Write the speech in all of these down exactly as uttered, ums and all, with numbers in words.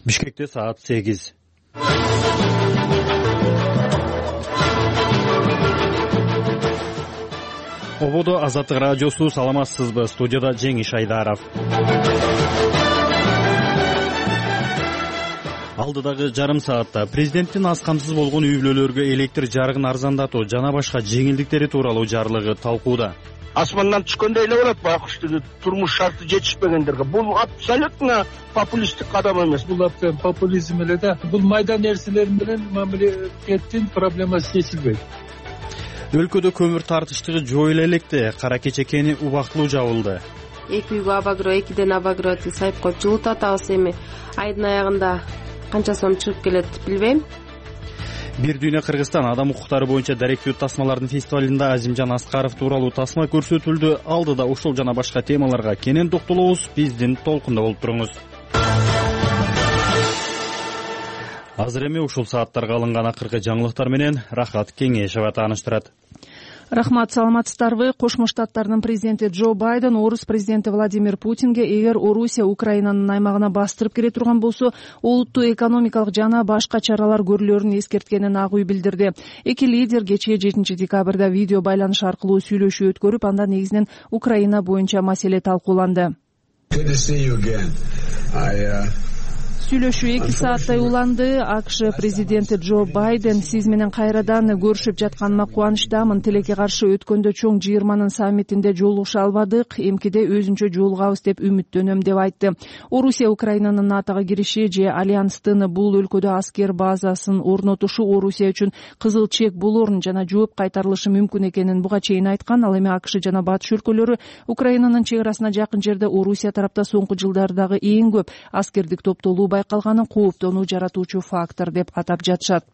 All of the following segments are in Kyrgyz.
Бишкекте саат сегиз. Ободо Азаттык радиосу, саламатсызбы? Студияда Жеңиш Айдаров. Алдыдагы жарым саатта президенттин аз камсыз болгон үй бүлөлөргө электр жарыгын арзандатуу жана башка жеңилдиктери тууралуу жарлыгы талкууда. Асмандан түшкөндөй эле болот байкуштуу турмуш шарты жетишпегендерге. Бул абсолютно популисттик кадам эмес. Бул абдан популизм эле да. Бул майда нерселер менен мамлекеттин проблемасы чечилбейт. Өлкөдө көмүр тартыштыгы жоюла электе. Кара Кече кени убактылуу жабылды. Эки үйгө Абагро, экиден Абагро сайып коюп жылытып атабыз. Эми айдын аягында канча сом чыгып келет билбейм. Бир дүйнө Кыргызстан адам укуктары боюнча даректүү тасмалардын фестивалында Азимжан Аскаров тууралуу тасма көрсөтүлдү. Алдыда ушул жана башка темаларга кенен токтолобуз. Биздин толкунда болуп туруңуз. Азыр эми ушул сааттарга алынган акыркы жаңылыктар менен Рахат Кеңешева тааныштырат. Рахмат, саламатсыздарбы? Кошмо Штаттардын президенти Джо Байден орус президенти Владимир Путинге эгер Орусия Украинанын аймагына бастырып кире турган болсо, олуттуу экономикалык жана башка чаралар көрүлөрүн эскерткенин ак үй билдирди. Эки лидер кечээ жетинчи декабрда видео байланыш аркылуу сүйлөшүү өткөрүп, анда негизинен Украина боюнча маселе талкууланды. Сүйлөшүү эки сааттай уланды. АКШ президенти Джо Байден: сиз менен кайрадан көрүшүп жатканыма кубанычтамын. Тилекке каршы өткөндө чоң жыйырманын саммитинде жолугуша албадык. Эмкиде өзүнчө жолугабыз деп үмүттөнөм деп айтты. Орусия Украинанын НАТОго кириши же альянстын бул өлкөдө аскер базасын орнотушу Орусия үчүн кызыл чек болорун жана жооп кайтарылышы мүмкүн экенин буга чейин айткан. Ал эми АКШ жана батыш өлкөлөрү Украинанын чек арасына жакын жерде Орусия тарапта соңку жылдардагы эң көп аскердик топтолуу байкалганын кооптонуу жаратуучу фактор деп атап жатышат.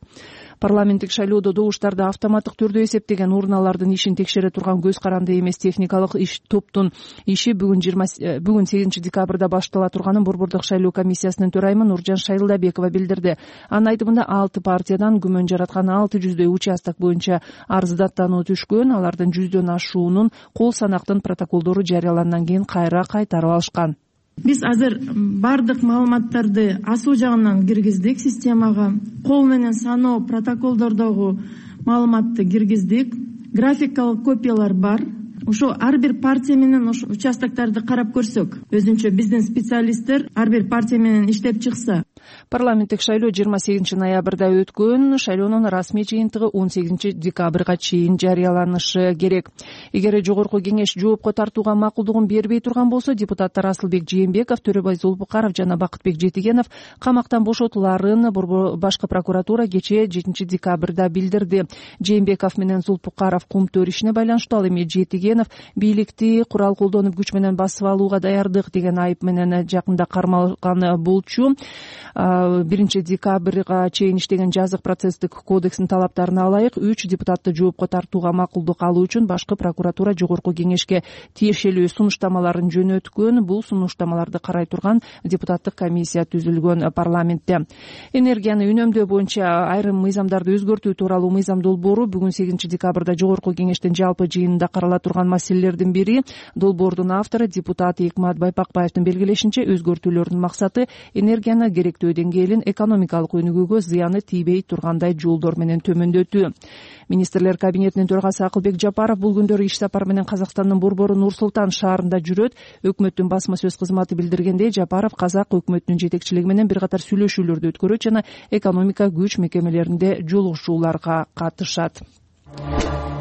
Парламенттик шайлоодо добуштарды автоматтык түрдө эсептеген урналардын ишин текшере турган көз каранды эмес техникалык иш топтун иши бүгүн жыйырма бүгүн сегизинчи декабрда баштала турганын Борбордук шайлоо комиссиясынын төрайымы Нуржан Шайлдабекова билдирди. Анын айтымында алты партиядан күмөн жараткан алты жүздөй участок боюнча арыздаттануу түшкөн. Алардын жүздөн ашуунун кол санактын протоколдору жарыялангандан кийин кайра кайтарып алышкан. Биз азыр бардык маалыматтарды асуу жагынан киргиздик системага. Кол менен саноо протоколдордогу маалыматты киргиздик. Графикалык копиялар бар. Ошо ар бир партия менен ошо участокторду карап көрсөк, өзүнчө биздин специалисттер ар бир партия менен иштеп чыкса. Парламенттик шайлоо жыйырма сегизинчи ноябрда өткөн. Шайлоонун расмий жыйынтыгы он сегизинчи декабрга чейин жарыяланышы керек. Эгер жогорку кеңеш жоопко тартууга макулдугун бербей турган болсо, депутаттар Асылбек Жээнбеков, Төрөбай Зулпукаров жана Бакытбек Жетигенов камактан бошотуларын башкы прокуратура кечээ жетинчи декабрда билдирди. Жээнбеков менен Зулпукаров кумтөр ишине байланыштуу. Ал эми Жетигенов бийликти курал колдонуп күч менен басып алууга даярдык деген айып менен жакында кармалган болчу. биринчи декабрга чейин иштеген жазык процесстик кодекстин талаптарына ылайык үч депутатты жоопко тартууга макулдук алуу үчүн башкы прокуратура жогорку кеңешке тиешелүү сунуштамаларын жөнөткөн. Бул сунуштамаларды карай турган депутаттык комиссия түзүлгөн парламентте. Энергияны үнөмдөө боюнча айрым мыйзамдарды өзгөртүү тууралуу мыйзам долбоору бүгүн сегизинчи декабрда жогорку кеңештин жалпы жыйынында карала турган маселелердин бири. Долбоордун автору депутат Экмат Байпакбаевдин белгилешинче, өзгөртүүлөрдүн максаты энергияны керектүү деңгээлин экономикалык өнүгүүгө зыяны тийбей тургандай жолдор менен төмөндөтүү. Министрлер кабинетинин төрагасы Акылбек Жапаров бул күндөрү иш сапары менен Казакстандын борбору Нур Султан шаарында жүрөт. Өкмөттүн басма сөз кызматы билдиргендей, Жапаров казак өкмөтүнүн жетекчилиги менен бир катар сүйлөшүүлөрдү өткөрөт жана экономика күч мекемелеринде жолугушууларга катышат.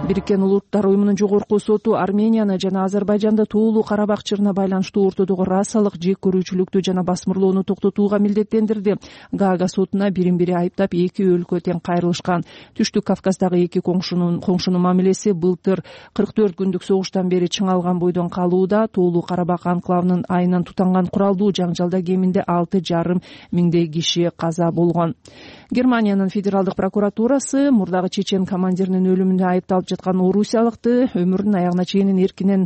Бириккен Улуттар уюмунун жогорку соту Арменияны жана Азербайжанды Тоолуу Карабак чырына байланыштуу ортодогу расалык жек көрүүчүлүктү жана басмырлоону токтотууга милдеттендирди. Гаага сотуна бирин-бири айыптап эки өлкө тең кайрылышкан. Түштүк Кавказдагы эки коңшунун коңшунун мамилеси былтыр кырк төрт күндүк согуштан бери чыңалган бойдон калууда. Тоолуу Карабак анклавынын айынан тутанган куралдуу жаңжалда кеминде алты жарым миңдей киши каза болгон. Германиянын федералдык прокуратурасы мурдагы чечен командиринин өлүмүндө айыпталып жаткан орусиялыкты өмүрүнүн аягына чейин эркинен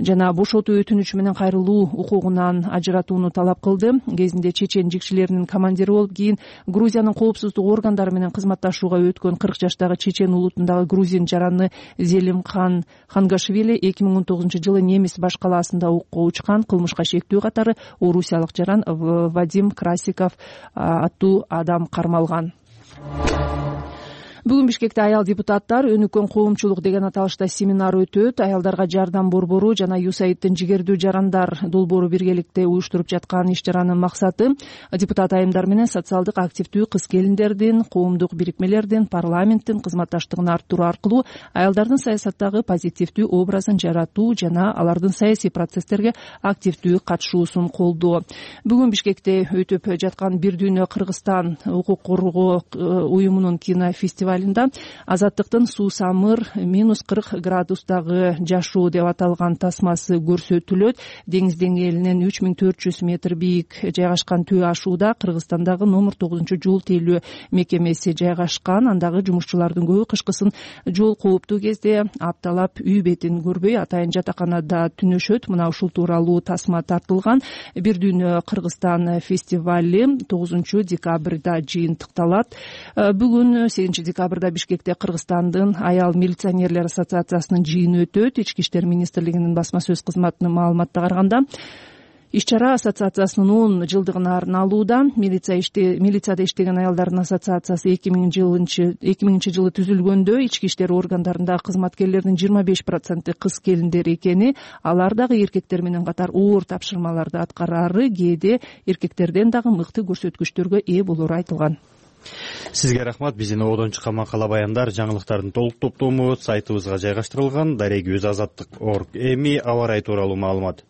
жана бошотуу өтүнүчү менен кайрылуу укугунан ажыратууну талап кылды. Кезинде чечен жигшилеринин командири болуп, кийин Грузиянын коопсуздук органдары менен кызматташууга өткөн кырк жаштагы чечен улутундагы грузин жараны Зелимхан Хангашвили эки миң он тогузунчу жылы немис баш калаасында окко учкан. Кылмышка шектүү катары орусиялык жаран Вадим Красиков аттуу адам кармалган. Бүгүн Бишкекте аял депутаттар өнүккөн коомчулук деген аталышта семинар өтөт. Аялдарга жардам борбору жана ЮСАИДтин жигердүү жарандар долбоору биргеликте уюштуруп жаткан иш чаранын максаты депутат айымдар менен социалдык активдүү кыз келиндердин, коомдук бирикмелердин, парламенттин кызматташтыгын арттыруу аркылуу аялдардын саясаттагы позитивдүү образын жаратуу жана алардын саясий процесстерге активдүү катышуусун колдоо. Бүгүн Бишкекте өтүп жаткан Бир дүйнө Кыргызстан укук коргоо уюмунун кинофестивалында Азаттыктын суусамыр минус кырк градустагы жашоо деп аталган тасмасы көрсөтүлөт. Деңиз деңгээлинен үч миң төрт жүз метр бийик жайгашкан Төө ашууда Кыргызстандагы номер тогузунчу жол тейлөө мекемеси жайгашкан. Андагы жумушчулардын көбү кышкысын жол кооптуу кезде апталап үй бетин көрбөй атайын жатаканада түнөшөт. Мына ушул тууралуу тасма тартылган. Бир дүйнө Кыргызстан фестивали тогузунчу декабрда жыйынтыкталат. Бүгүн сегизинчи декабрда Бишкекте Кыргызстандын аял милиционерлер ассоциациясынын жыйыны өтөт. Ички иштер министрлигинин басма сөз кызматынын маалыматына караганда, иш-чара ассоциациясынын он жылдыгына арналууда. Милицияда иштеген аялдардын ассоциациясы эки миңинчи жылы түзүлгөндө ички иштер органдарындагы кызматкерлердин жыйырма беш проценти кыз келиндер экени, алар дагы эркектер менен катар оор тапшырмаларды аткарары, кээде эркектерден дагы мыкты көрсөткүчтөргө ээ болору айтылган. Сизге рахмат. Биздин ободон чыккан макала баяндар жаңылыктардын толук топтому сайтыбызга жайгаштырылган. Дареги өз азаттык точка орг. Эми аба ырайы тууралуу маалымат.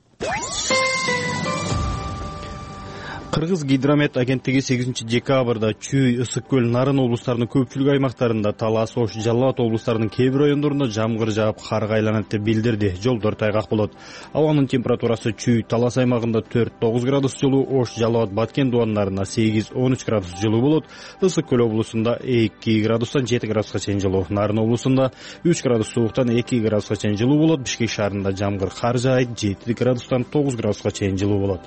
Кыргыз гидромет агенттиги сегизинчи декабрда Чүй, Ысык көл, Нарын облустарынын көпчүлүк аймактарында, Талас, Ош, Жалал Абад облустарынын кээ бир райондорунда жамгыр жаап, карга айланат деп билдирди. Жолдор тайгак болот. Абанын температурасы Чүй, Талас аймагында төрт тогуз градус жылуу, Ош, Жалал Абад, Баткен дуандарында сегиз он үч градус жылуу болот. Ысык көл облусунда эки градустан жети градуска чейин жылуу, Нарын облусунда үч градус сууктан эки градуска чейин жылуу болот. Бишкек шаарында жамгыр кар жаайт, жети градустан тогуз градуска чейин жылуу болот.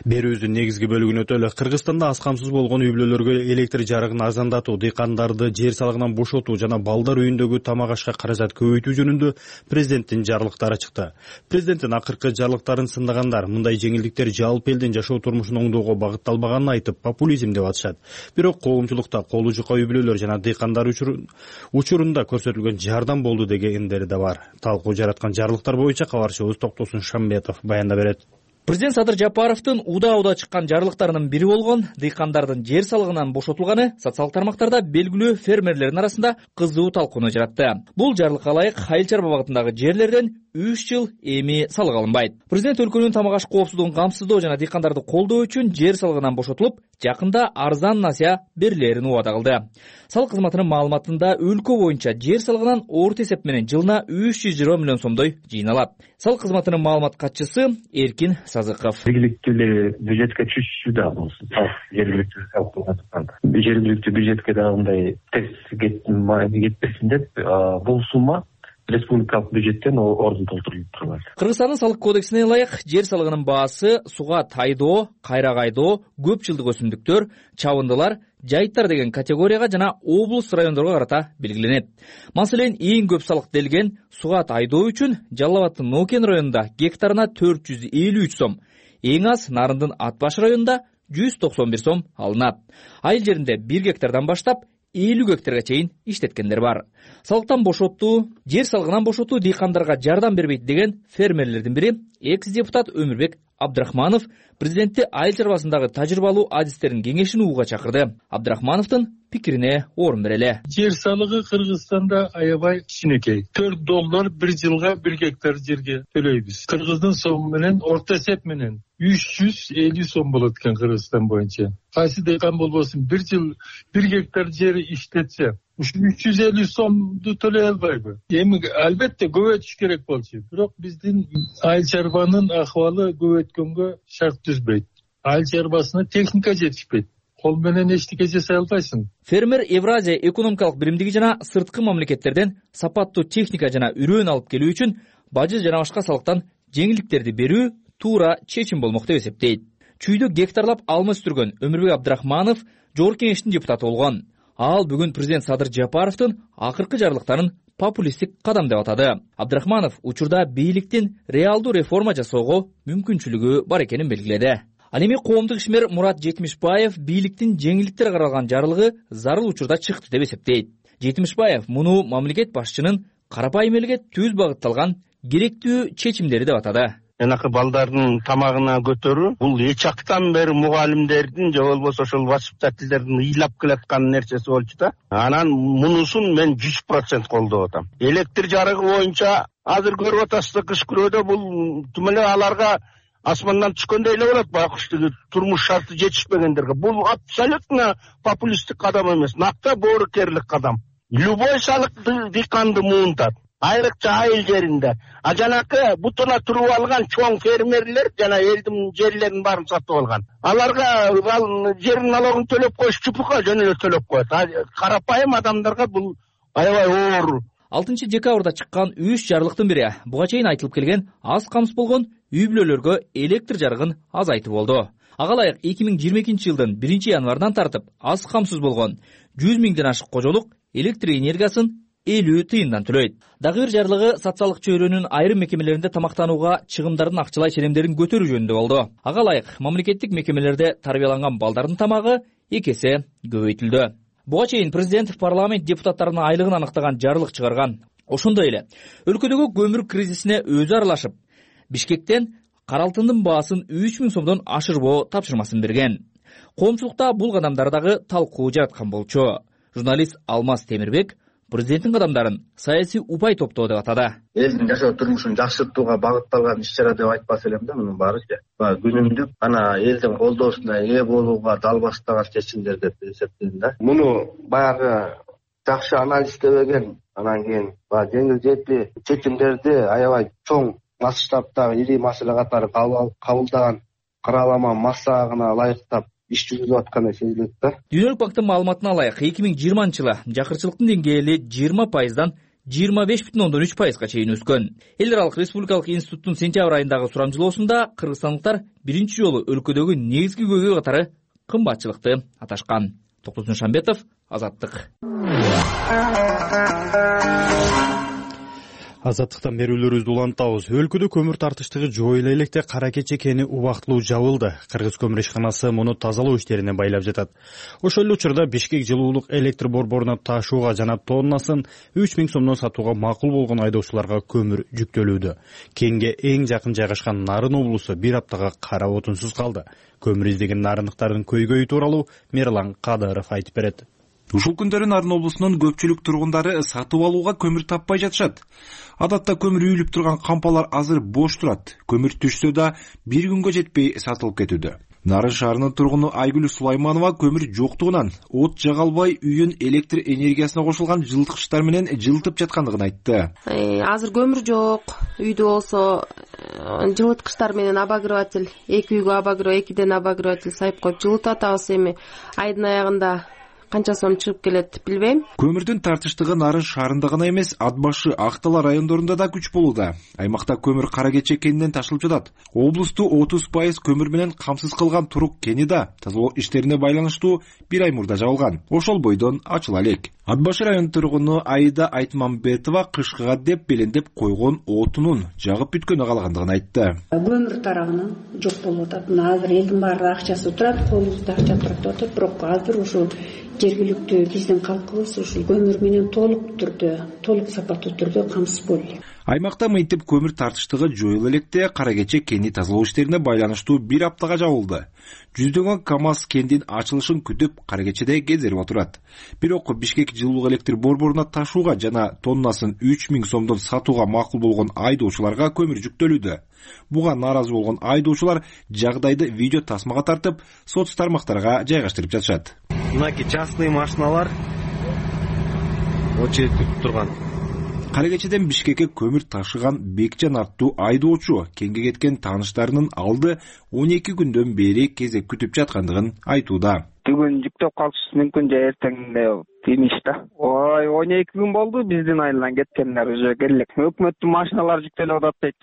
Берүүбүздүн негизги бөлүгүнө өтөлү. Кыргызстанда аз камсыз болгон үй бүлөлөргө электр жарыгын арзандатуу, дыйкандарды жер салыгынан бошотуу жана балдар үйүндөгү тамак ашка каражат көбөйтүү жөнүндө президенттин жарлыктары чыкты. Президенттин акыркы жарлыктарын сындагандар мындай жеңилдиктер жалпы элдин жашоо турмушун оңдоого багытталбаганын айтып, популизм деп атышат. Бирок коомчулукта колу жука үй бүлөлөр жана дыйкандар учурунда көрсөтүлгөн жардам болду дегендери да бар. Талкуу жараткан жарлыктар боюнча кабарчыбыз Токтосун Шамбетов баяндап берет. Президент Садыр Жапаровдун уда-уда чыккан жарлыктарынын бири болгон дыйкандардын жер салыгынан бошотулганы социалдык тармактарда белгилүү фермерлердин арасында кызуу талкууну жаратты. Бул жарлыкка ылайык айыл чарба багытындагы жерлерден үч жыл эми салык алынбайт. Президент өлкөнүн тамак аш коопсуздугун камсыздоо жана дыйкандарды колдоо үчүн жер салыгынан бошотулуп, жакында арзан насыя берилерин убада кылды. Салык кызматынын маалыматында өлкө боюнча жер салыгынан орто эсеп менен жылына үч жүз жыйырма миллион сомдой жыйналат. Салык кызматынын маалымат катчысы Эркин Сазыков. Жергиликтүү бюджетке түшүшү да болсун. Жергиликтүү салык жергиликтүү бюджетке да мындай терс кетпесин деп бул сумма республикалык бюджеттен ордун толтурулуп турат. Кыргызстандын салык кодексине ылайык жер салыгынын баасы суга тайдоо, кайрак айдоо, көп жылдык өсүмдүктөр, чабындылар, жайыттар деген категорияга жана облус райондорго карата белгиленет. Маселен, эң көп салык делген суга тайдоо үчүн Жалал Абадтын Нокен районунда гектарына төрт жүз элүү үч сом, эң аз Нарындын Ат баш районунда жүз токсон бир сом алынат. Айыл жеринде бир гектардан баштап элүү гектарга чейин иштеткендер бар. Салыктан бошотуу, жер салыгынан бошотуу дыйкандарга жардам бербейт деген фермерлердин бири экс-депутат Өмүрбек Абдрахманов президентти айыл чарбасындагы тажрыйбалуу адистердин кеңешин уууга чакырды. Абдрахмановдун пикирине орун берели. Жер салыгы Кыргызстанда аябай кичинекей. төрт доллар бир жылга бир гектар жерге төлөйбүз. Кыргыздын сому менен орто эсеп менен үч жүз элүү сом болот экен Кыргызстан боюнча. Кайсы дыйкан болбосун бир жыл бир гектар жери иштетсе, ушу үч жүз элүү сомду төлөй албайбы? Эми албетте көбөйтүш керек болчу. Бирок биздин айыл чарбанын акыбалы көбөйткөнгө шарт түзбөйт. айыл чарбасына техника жетишпейт, кол менен эчтеке жасай албайсың. Фермер Евразия экономикалык биримдиги жана сырткы мамлекеттерден сапаттуу техника жана үрөөн алып келүү үчүн бажы жана башка салыктан жеңилдиктерди берүү туура чечим болмок деп эсептейт. Чүйдө гектарлап алма өстүргөн Өмүрбек Абдрахманов Жогорку Кеңештин депутаты болгон. Ал бүгүн президент Садыр Жапаровдун акыркы жарлыктарын популисттик кадам деп атады. Абдрахманов учурда бийликтин реалдуу реформа жасоого мүмкүнчүлүгү бар экенин белгиледи. Ал эми коомдук ишмер Мурат Жетимишбаев бийликтин жеңилдиктер каралган жарлыгы зарыл учурда чыкты деп эсептейт. Жетимишбаев муну мамлекет башчынын карапайым элге түз багытталган керектүү чечимдери деп атады. Энакы балдардын тамагына көтөрүү бул эч актан бери мугалимдердин же болбосо ошол воспитательдердин ыйлап келаткан нерсеси болчу да. Анан мунусун мен жүз процент колдоп атам. Электр жарыгы боюнча азыр көрүп атасыздар, кыш күрөдө бул тим эле аларга асмандан түшкөндөй эле болот, байкуш тиги турмуш шарты жетишпегендерге. Бул абсолютно популисттик кадам эмес, накта боорукерлик кадам. Любой салык дыйканды муунтат. Айрыкча айыл жеринде. А жанакы бутуна туруп алган чоң фермерлер жана элдин жерлерин баарын сатып алган. Аларга жерин налогун төлөп коюш чупука жөн эле төлөп коет. Карапайым адамдарга бул аябай оор. алтынчы декабрда чыккан үч жарлыктын бири буга чейин айтылып келген аз камсыз болгон үй бүлөлөргө электр жарыгын азайтуу болду. Ага ылайык эки миң жыйырма экинчи жылдын биринчи январынан тартып аз камсыз болгон жүз миңден ашык кожолук электр энергиясын элүү тыйындан төлөйт. Дагы бир жарлыгы социалдык чөйрөнүн айрым мекемелеринде тамактанууга чыгымдардын акчалай ченемдерин көтөрүү жөнүндө болду. Ага ылайык мамлекеттик мекемелерде тарбияланган балдардын тамагы эки эсе көбөйтүлдү. Буга чейин президент парламент депутаттарынын айлыгын аныктаган жарлык чыгарган. Ошондой эле өлкөдөгү көмүр кризисине өзү аралашып, Бишкектен кара алтындын баасын үч миң сомдон ашырбоо тапшырмасын берген. Коомчулукта бул кадамдар дагы талкуу жараткан болчу. Журналист Алмаз Темирбек президенттин кадамдарын саясий упай топтоо деп атады. Элдин жашоо турмушун жакшыртууга багытталган иш-чара деп айтпас элем да, мунун баары күнүмдүк анан элдин колдоосуна ээ болууга дал баштаган чечимдер деп эсептейм да. Муну баягы жакшы анализдебеген, анан кийин баягы жеңил жетпи чечимдерди аябай чоң масштабтагы ири маселе катары кабылдаган каралама массагына ылайыктап иш жүзүлүп атканы сезилет да. Дүйнөлүк банктын маалыматына ылайык эки миң жыйырманчы жылы жакырчылыктын деңгээли жыйырма пайыздан жыйырма беш бүтүн ондон үч пайызга чейин өскөн. Эл аралык республикалык институттун сентябрь айындагы сурамжылоосунда кыргызстандыктар биринчи жолу өлкөдөгү негизги көйгөй катары кымбатчылыкты аташкан. Токтосун Шамбетов, Азаттык. Азаттыктан берүүлөрүбүздү улантабыз. Өлкөдө көмүр тартыштыгы жоюла электе кара кече кени убактылуу жабылды. Кыргыз көмүр ишканасы муну тазалоо иштерине байлап жатат. Ошол эле учурда Бишкек жылуулук электр борборуна ташууга жана тоннасын үч миң сомдон сатууга макул болгон айдоочуларга көмүр жүктөлүүдө. Кенге эң жакын жайгашкан Нарын облусу бир аптага кара отунсуз калды. Көмүр издеген нарындыктардын көйгөйү тууралуу Мерлан Кадыров айтып берет. Ушул күндөрү Нарын облусунун көпчүлүк тургундары сатып алууга көмүр таппай жатышат. Адатта көмүр үйүлүп турган кампалар азыр бош турат. Көмүр түшсө да бир күнгө жетпей сатылып кетүүдө. Нарын шаарынын тургуну Айгүл Сулайманова көмүр жоктугунан от жага албай үйүн электр энергиясына кошулган жылыткычтар менен жылытып жаткандыгын айтты. Азыр көмүр жок. Үйдө болсо жылыткычтар менен обогреватель, эки үйгө обогрев, экиден обогреватель сайып коюп жылытат. Атабыз эми айдын аягында канча сом чыгып келет билбейм. Көмүрдүн тартыштыгы Нарын шаарында гана эмес, Ат башы, Актала райондорунда да күч болууда. Аймакта көмүр кара кече кенинен ташылып жатат. Облусту отуз пайыз көмүр менен камсыз кылган Турук кени да тазалоо иштерине байланыштуу бир ай мурда жабылган. Ошол бойдон ачыла элек. Ат башы районунун тургуну Айда Айтмамбетова кышкыга деп белендеп койгон отунун жагып бүткөнү калгандыгын айтты. Көмүр тарагынан жок болуп атат. Азыр элдин баары акчасы турат, колубузда акча турат деп атат. Бирок азыр ушул жергиликтүү биздин калкыбыз ушул көмүр менен толук түрдө, толук сапаттуу түрдө камсыз болду. Аймакта мынтип көмүр тартыштыгы жоюла электе кара кече кени тазалоо иштерине байланыштуу бир аптага жабылды. Жүздөгөн КАМАЗ кендин ачылышын күтүп кара кечеде кезерип отурат. Бирок Бишкек жылуулук электр борборуна ташууга жана тоннасын үч миң сомдон сатууга макул болгон айдоочуларга көмүр жүктөлүүдө. Буга нааразы болгон айдоочулар жагдайды видео тасмага тартып, соц тармактарга жайгаштырып жатышат. Мынакей частный машиналар очередь күтүп турган. Кара кечеден Бишкекке көмүр ташыган Бекжан аттуу айдоочу кеңге кеткен тааныштарынын алды он эки күндөн бери кезек күтүп жаткандыгын айтууда. Бүгүн жүктөп калышы мүмкүн же эртеңде деймиш да. Ой, он эки күн болду биздин айылдан кеткендер уже келек. Өкмөттүн машиналары жүктөлүп атат дейт.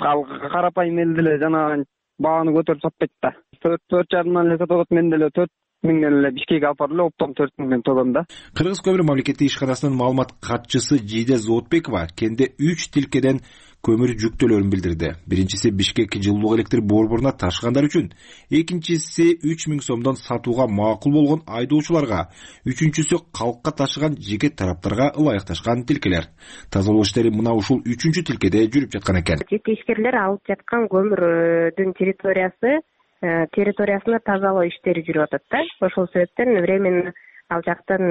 Карапайым эл деле жана бааны көтөрүп сатпайт да. төрт жарымдан эле сатып атат, мен деле төрт миңден эле Бишкекке алып барып эле оптом төрт миңден тогом да. Кыргыз көмүр мамлекеттик ишканасынын маалымат катчысы Жиде Зоотбекова кенде үч тилкеден көмүр жүктөлөрүн билдирди. Биринчиси Бишкек жылуулук электр борборуна ташыгандар үчүн, экинчиси үч миң сомдон сатууга макул болгон айдоочуларга, үчүнчүсү калкка ташыган жеке тараптарга ылайыкташкан тилкелер. Тазалоо иштери мына ушул үчүнчү тилкеде жүрүп жаткан экен. Жеке ишкерлер алып жаткан көмүрдүн территориясы территориясына тазалоо иштери жүрүп атат да. Ошол себептен временно ал жактан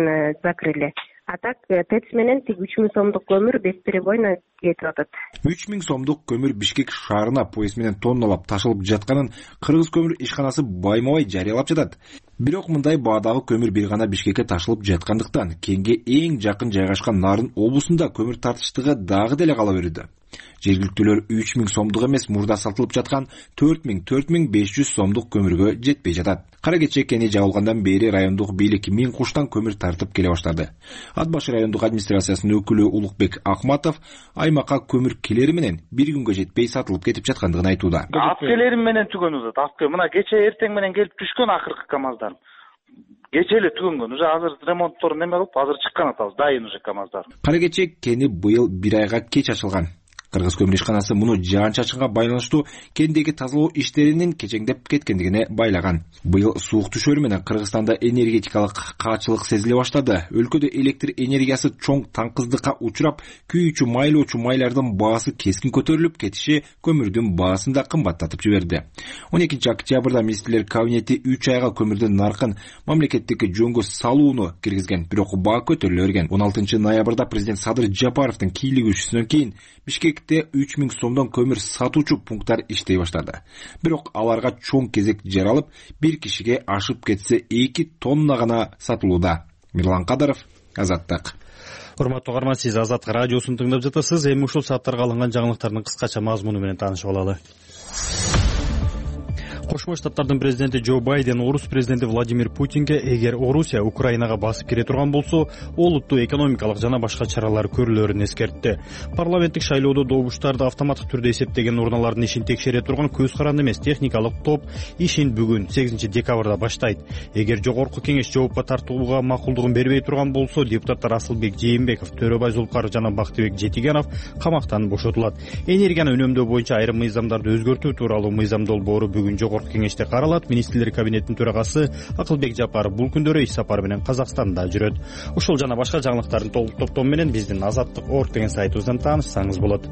закрыли. А так ТЭЦ менен тиг үч миң сомдук көмүр бесперебойно кетип атат. үч миң сомдук көмүр Бишкек шаарына поезд менен тонналап ташылып жатканын Кыргыз көмүр ишканасы байма-бай жарыялап жатат. Бирок мындай баадагы көмүр бир гана Бишкекке ташылып жаткандыктан кенге эң жакын жайгашкан Нарын облусунда көмүр тартыштыгы дагы деле кала берүүдө. Жергиликтүүлөр үч миң сомдук эмес, мурда сатылып жаткан төрт миң төрт миң беш жүз сомдук көмүргө жетпей жатат. Кара кече кени жабылгандан бери райондук бийлик миң куштан көмүр тартып келе баштады. Ат башы райондук администрациясынын өкүлү Улукбек Акматов аймакка көмүр келери менен бир күнгө жетпей сатылып кетип жаткандыгын айтууда. Ат келери менен түгөнүп атат. Ат мына кече эртең менен келип түшкөн акыркы КамАЗдар. Кече эле түгөнгөн. Уже азыр ремонтторун неме кылып, азыр чыккан атабыз. Дайын уже КамАЗдар. Кара кече кени быйыл бир айга кеч ачылган. Кыргыз көмүр ишканасы муну жаан-чачынга байланыштуу кендеги тазалоо иштеринин кечеңдеп кеткендигине байлаган. Быйыл суук түшөрү менен Кыргызстанда энергетикалык каачылык сезиле баштады. Өлкөдө электр энергиясы чоң таңкыздыкка учурап, күйүүчү майлоочу майлардын баасы кескин көтөрүлүп кетиши көмүрдүн баасын да кымбаттатып жиберди. он экинчи октябрда министрлер кабинети үч айга көмүрдүн наркын мамлекеттик жөнгө салууну киргизген, бирок баа көтөрүлө берген. он алтынчы ноябрда президент Садыр Жапаровдун кийлигүүсүнөн кийин Бишкекте үч миң сомдон көмүр сатуучу пункттар иштей баштады. Бирок аларга чоң кезек жаралып, бир кишиге ашып кетсе эки тонна гана сатылууда. Мирлан Кадаров, Азаттык. Урматтуу угарман, сиз Азаттык радиосун тыңдап жатасыз. Эми ушул сааттарга алынган жаңылыктардын кыскача мазмуну менен таанышып алалы. Кошмо Штаттардын президенти Джо Байден орус президенти Владимир Путинге эгер Орусия Украинага басып кире турган болсо, олуттуу экономикалык жана башка чаралар көрүлөрүн эскертти. Парламенттик шайлоодо добуштарды автоматтык түрдө эсептеген урналардын ишин текшере турган көз каранды эмес техникалык топ ишин бүгүн сегизинчи декабрда баштайт. Эгер жогорку кеңеш жоопко тартууга макулдугун бербей турган болсо, депутаттар Асылбек Жээнбеков, Төрөбай Зулкаров жана Бактыбек Жетигенов камактан бошотулат. Энергияны үнөмдөө боюнча айрым мыйзамдарды өзгөртүү тууралуу мыйзам долбоору бүгүн жогорку кеңеште каралат. Министрлер кабинетинин төрагасы Акылбек Жапаров бул күндөрү иш сапары менен Казакстанда жүрөт. Ушул жана башка жаңылыктардын толук топтому менен биздин Азаттык орг деген сайтыбыздан таанышсаңыз болот.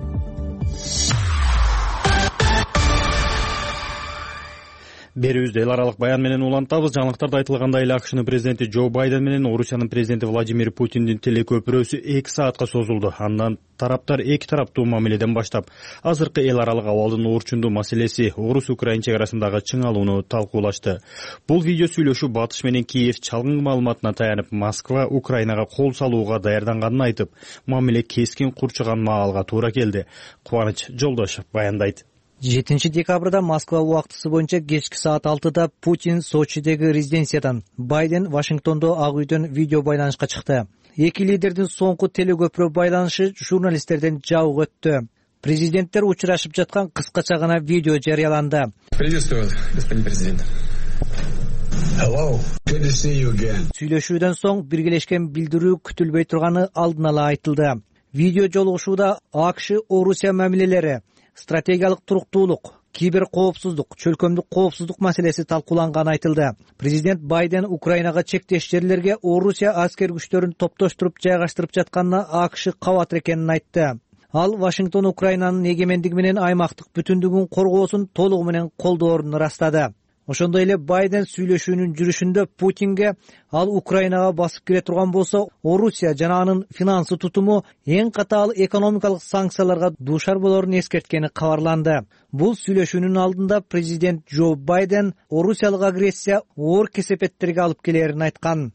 Берүүбүздү эл аралык баян менен улантабыз. Жаңылыктарда айтылгандай эле АКШнын президенти Джо Байден менен Орусиянын президенти Владимир Путиндин телекөпүрөсү эки саатка созулду. Андан тараптар эки тараптуу мамиледен баштап азыркы эл аралык абалдын оорчундуу маселеси Орус-Украин чек арасындагы чыңалууну талкуулашты. Бул видео сүйлөшүү Батыш менен Киев чалгын маалыматына таянып Москва Украинага кол салууга даярданганын айтып, мамиле кескин курчуган маалга туура келди. Кубаныч Жолдошов баяндайт. жетинчи декабрда Москва убактысы боюнча кечки саат алтыда Путин Сочидеги резиденциядан, Байден Вашингтондо Ак үйдөн видео байланышка чыкты. Эки лидердин соңку телекөпүрө байланышы журналисттерден жабык өттү. Президенттер учурашып жаткан кыскача гана видео жарыяланды. Приветствую вас, господин президент. Hello, good to see you again. Сүйлөшүүдөн соң биргелешкен билдирүү күтүлбөй турганы алдын ала айтылды. Видео жолугушууда АКШ Орусия мамилелери, стратегиялык туруктуулук, кибер коопсуздук, чөлкөмдүк коопсуздук маселеси талкууланганы айтылды. Президент Байден Украинага чектеш жерлерге Орусия аскер күчтөрүн топтоштуруп жайгаштырып жатканына АКШ кабатыр экенин айтты. Ал Вашингтон Украинанын эгемендиги менен аймактык бүтүндүгүн коргоосун толугу менен колдоорун ырастады. Ошондой эле Байден сүйлөшүүнүн жүрүшүндө Путинге ал Украинага басып кире турган болсо, Орусия жана анын финансы тутуму эң катаал экономикалык санкцияларга дуушар болорун эскерткени кабарланды. Бул сүйлөшүүнүн алдында президент Джо Байден Орусиялык агрессия оор кесепеттерге алып келерин айткан.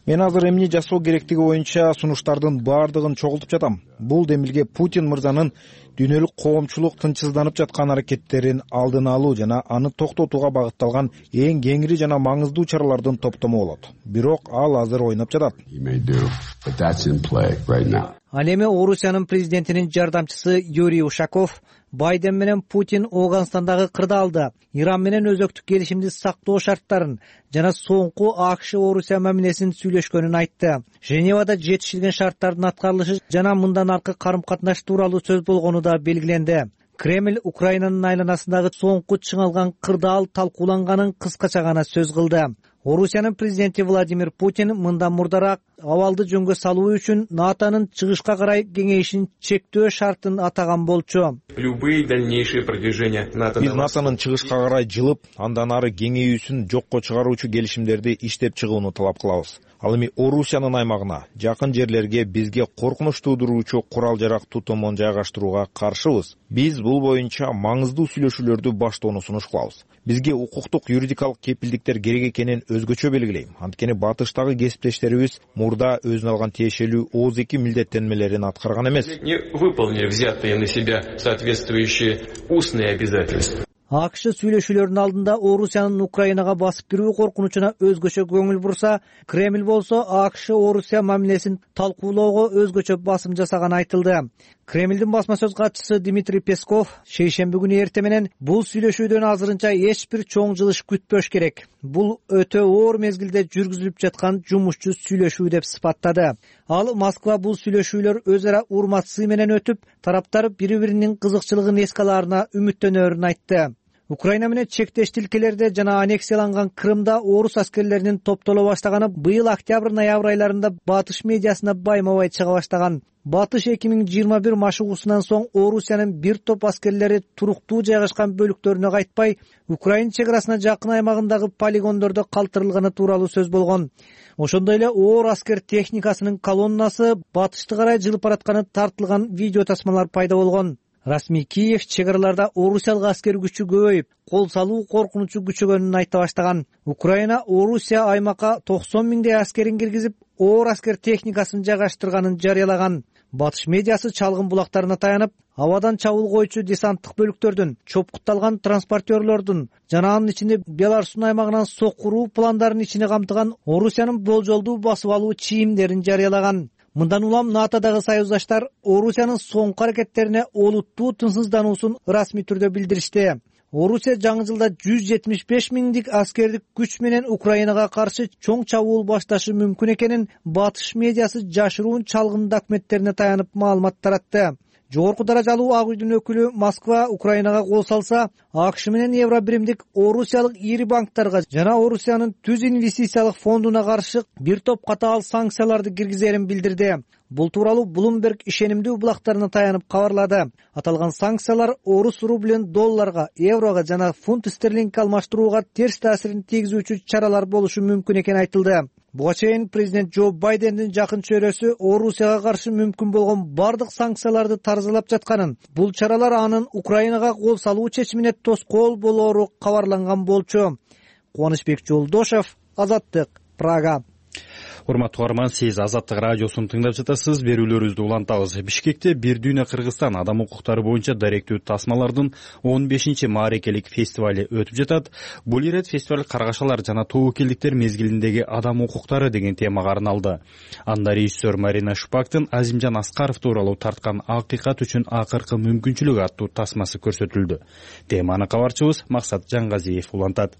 Мен азыр эмне жасоо керектиги боюнча сунуштардын баардыгын чогултуп жатам. Бул демилге Путин мырзанын дүйнөлүк коомчулук тынчсызданып жаткан аракеттерин алдын алуу жана аны токтотууга багытталган эң кеңири жана маңыздуу чаралардын топтому болот. Бирок ал азыр ойноп жатат. Ал эми Орусиянын президентинин жардамчысы Юрий Ушаков Байден менен Путин Афганстандагы кырдаалды, Иран менен өзөктүк келишимди сактоо шарттарын жана соңку АКШ Орусия мамилесин сүйлөшкөнүн айтты. Женевада жетишилген шарттардын аткарылышы жана мындан аркы карым-катнаш тууралуу сөз болгону да белгиленди. Кремль Украинанын айланасындагы соңку чыңалган кырдаал талкууланганын кыскача гана сөз кылды. Орусиянын президенти Владимир Путин мындан мурдараак абалды жөнгө салуу үчүн НАТОнун чыгышка карай кеңейишин чектөө шартын атаган болчу. Биз НАТОнун чыгышка карай жылып, андан ары кеңейүүсүн жокко чыгаруучу келишимдерди иштеп чыгууну талап кылабыз. Ал эми Орусиянын аймагына, жакын жерлерге бизге коркунуч туудуруучу курал-жарак тутумун жайгаштырууга каршыбыз. Биз бул боюнча маңыздуу сүйлөшүүлөрдү баштоону сунуш кылабыз. Бизге укуктук юридикалык кепилдиктер керек экенин өзгөчө белгилейм. Анткени батыштагы кесиптештерибиз мурда өзүнө алган тиешелүү ооз эки милдеттенмелерин аткарган эмес. Не выполнили взятые на себя соответствующие устные обязательства. АКШ сүйлөшүүлөрдүн алдында Орусиянын Украинага басып кирүү коркунучуна өзгөчө көңүл бурса, Кремль болсо АКШ Орусия мамилесин талкуулоого өзгөчө басым жасаганы айтылды. Кремлдин басма сөз катчысы Дмитрий Песков шейшемби күнү эрте менен бул сүйлөшүүдөн азырынча эч бир чоң жылыш күтпөш керек. Бул өтө оор мезгилде жүргүзүлүп жаткан жумушчу сүйлөшүү деп сыпаттады. Ал Москва бул сүйлөшүүлөр өз ара урматсыз менен өтүп, тараптар бири-биринин кызыкчылыгын эске алаарына үмүттөнөрүн айтты. Украина менен чектеш тилкелерде жана аннексияланган Крымда орус аскерлеринин топтоло баштаганы быйыл октябрь-ноябрь айларында батыш медиасына байма-бай чыга баштаган. Батыш эки миң жыйырма бир машыгуусунан соң Орусиянын бир топ аскерлери туруктуу жайгашкан бөлүктөрүнө кайтпай, Украина чек арасына жакын аймагындагы полигондордо калтырылганы тууралуу сөз болгон. Ошондой эле оор аскер техникасынын колоннасы батышты карай жылып баратканы тартылган видео тасмалар пайда болгон. Расмий Киев чек араларда Орусиялык аскер күчү көбөйүп, кол салуу коркунучу күчөгөнүн айта баштаган. Украина Орусия аймакка токсон миңдей аскерин киргизип, оор аскер техникасын жайгаштырганын жарыялаган. Батыш медиасы чалгын булактарына таянып, абадан чабуул коючу десанттык бөлүктөрдүн, чопкутталган транспортерлордун жана анын ичинде Беларустун аймагынан сокуруу пландарын ичине камтыган Орусиянын болжолдуу басып алуу чийимдерин жарыялаган. Мындан улам НАТОдагы союздаштар Орусиянын соңку аракеттерине олуттуу тынчсыздануусун расмий түрдө билдиришти. Орусия жаңы жылда жүз жетимиш беш миңдик аскердик күч менен Украинага каршы чоң чабуул башташы мүмкүн экенин батыш медиасы жашыруун чалгын документтерине таянып маалымат таратты. Жогорку даражалуу Ак үйдүн өкүлү Москва Украинага кол салса, АКШ менен Евробиримдик Орусиялык ири банктарга жана Орусиянын түз инвестициялык фондуна каршы бир топ катаал санкцияларды киргизерин билдирди. Бул тууралуу Bloomberg ишенимдүү булактарына таянып кабарлады. Аталган санкциялар орус рублин долларга, еврого жана фунт стерлингге алмаштырууга терс таасирин тийгизүүчү чаралар болушу мүмкүн экени айтылды. Буга чейин президент Джо Байдендин жакын чөйрөсү Орусияга каршы мүмкүн болгон бардык санкцияларды таразалап жатканын, бул чаралар анын Украинага кол салуу чечимине тоскоол болоору кабарланган болчу. Кубанычбек Жолдошев, Азаттык, Прага. Урматтуу угарман, сиз Азаттык радиосун тыңдап жатасыз. Берүүлөрүбүздү улантабыз. Бишкекте Бир дүйнө Кыргызстан адам укуктары боюнча даректүү тасмалардын он бешинчи маарекелик фестивали өтүп жатат. Бул ирет фестиваль каргашалар жана тобокелдиктер мезгилиндеги адам укуктары деген темага арналды. Анда режиссер Марина Шупактын Азимжан Аскаров тууралуу тарткан акыйкат үчүн акыркы мүмкүнчүлүк аттуу тасмасы көрсөтүлдү. Теманы кабарчыбыз Максат Жангазиев улантат.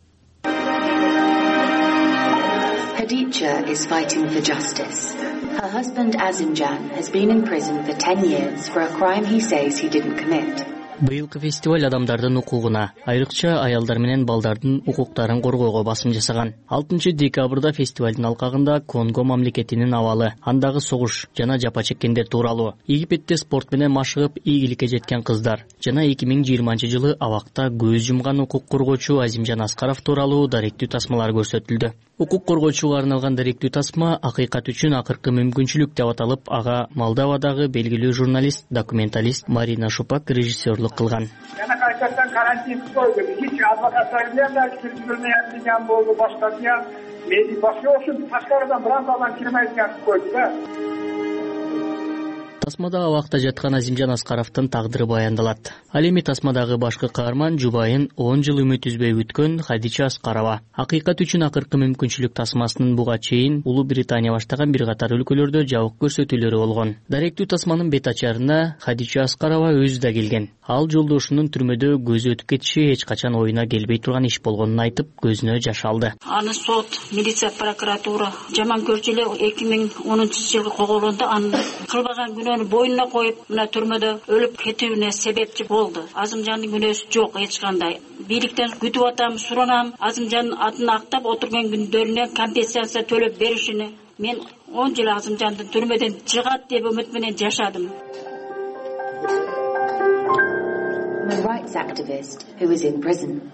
Khadija is fighting for justice. Her husband Azimjan has been in prison for ten years for a crime he says he didn't commit. Быйылкы фестиваль адамдардын укугуна, айрыкча аялдар менен балдардын укуктарын коргоого басым жасаган. алтынчы декабрда фестивалдын алкагында Конго мамлекетинин абалы, андагы согуш жана жапа чеккендер тууралуу, Египетте спорт менен машыгып ийгиликке жеткен кыздар жана эки миң жыйырманчы жылы абакта көз жумган укук коргоочу Азимжан Аскаров тууралуу даректүү тасмалар көрсөтүлдү. Укук коргоочуга арналган даректүү тасма акыйкат үчүн акыркы мүмкүнчүлүк деп аталып, ага Молдовадагы белгилүү журналист, документалист Марина Шупак режиссерлук кылган. Жана кайсыдан карантин койду. Hiç адвокаттар да киргизилмеген болду, башка дия. Мен башка ошо ташкарыдан бираз адам кирмейдигин койду да. Тасмада абакта жаткан Азимжан Аскаровдун тагдыры баяндалат. Ал эми тасмадагы башкы каарман жубайын он жыл үмүт үзбөй күткөн Хадича Аскарова. Акыйкат үчүн акыркы мүмкүнчүлүк тасмасынын буга чейин Улуу Британия баштаган бир катар өлкөлөрдө жабык көрсөтүүлөрү болгон. Даректүү тасманын бет ачарына Хадича Аскарова өзү да келген. Ал жолдошунун түрмөдө көзү өтүп кетиши эч качан оюна келбей турган иш болгонун айтып, көзүнө жаш алды. Аны сот, милиция, прокуратура жаман көрчү эле эки миң онунчу жылы когулгондо аны кылбаган күнөөнү боюна коюп, мына түрмөдө өлүп кетүүнү себепчи болду. Азымжандын күнөөсү жок эч кандай. Бийликтен күтүп атам, суранам, Азымжандын атын актап отурган күндөрүнө компенсация төлөп беришини. Мен он жыл Азымжандын түрмөдөн чыгат деп үмүт менен жашадым. A rights activist who is in prison.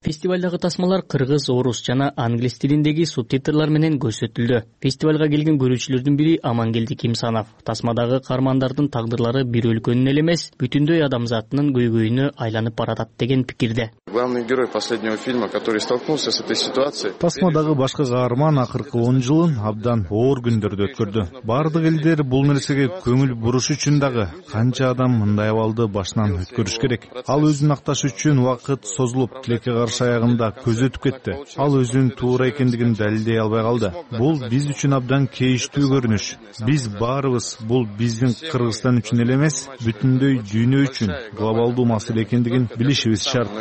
Фестивалдагы тасмалар кыргыз, орус жана англис тилиндеги субтитрлар менен көрсөтүлдү. Фестивалга келген көрүүчүлөрдүн бири Амангелди Кимсанов. Тасмадагы каармандардын тагдырлары бир өлкөнүн эле эмес, бүтүндөй адамзаттын көйгөйүнө айланып баратат деген пикирде. Главный герой последнего фильма, который столкнулся с этой ситуацией. Тасмадагы башкы каарман акыркы он жылын абдан оор күндөрдү өткөрдү. Бардык элдер бул нерсеге көңүл буруш үчүн дагы канча адам мындай абалды башынан өткөрүш керек. Ал өзүн акташ үчүн убакыт созулуп, тилекке каршы аягында көз өтүп кетти. Ал өзүнүн туура экендигин далилдей албай калды. Бул биз үчүн абдан кейиштүү көрүнүш. Биз баарыбыз бул биздин Кыргызстан үчүн эле эмес, бүтүндөй дүйнө үчүн глобалдуу маселе экендигин билишибиз шарт.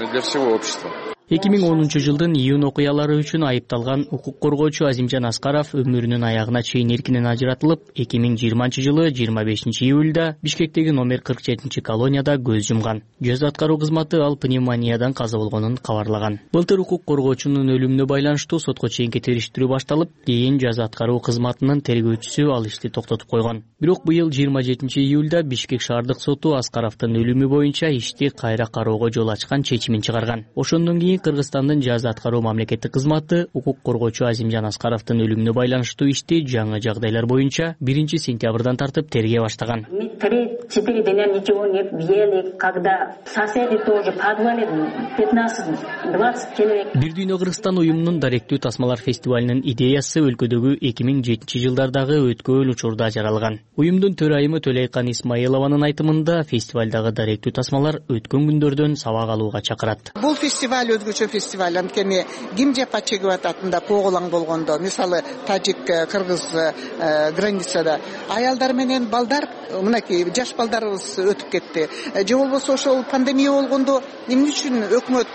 эки миң онунчу жылдын июнь окуялары үчүн айыпталган укук коргоочу Азимжан Аскаров өмүрүнүн аягына чейин эркинен ажыратылып, эки миң жыйырманчы жылы жыйырма бешинчи июлда Бишкектеги номер кырк жетинчи колонияда көз жумган. Жаза аткаруу кызматы ал пневмониядан каза болгонун кабарлаган. Былтыр укук коргоочунун өлүмүнө байланыштуу сотко чейинки териштирүү башталып, кийин жаза аткаруу кызматынын тергөөчүсү ал ишти токтотуп койгон. Бирок быйыл жыйырма жетинчи июлда Бишкек шаардык соту Аскаровдун өлүмү боюнча ишти кайра кароого жол ачкан чечимин чыгарган. Ошондон кийин Кыргызстандын жаза аткаруу мамлекеттик кызматы укук коргоочу Азимжан Аскаровдун өлүмүнө байланыштуу ишти жаңы жагдайлар боюнча биринчи сентябрдан тартып тергей баштаган. три-четыре дня ничего не ели, когда соседи тоже подвале пятнадцать-двадцать человек. Бир дүйнө Кыргызстан уюмунун даректүү тасмалар фестивалынын идеясы өлкөдөгү эки миң жетинчи жылдардагы өткөн учурда жаралган. Уюмдун төрайымы Төлөйкан Исмаилованын айтымында фестивалдагы даректүү тасмалар өткөн күндөрдөн сабак алууга чакырат. Бул фестиваль өзгөчө фестиваль, анткени ким жапа чегип ататында коголаң болгондо, мисалы тажик, кыргыз границада аялдар менен балдар, мынакей жаш балдарыбыз өтүп кетти. Же болбосо ошол пандемия болгондо эмне үчүн өкмөт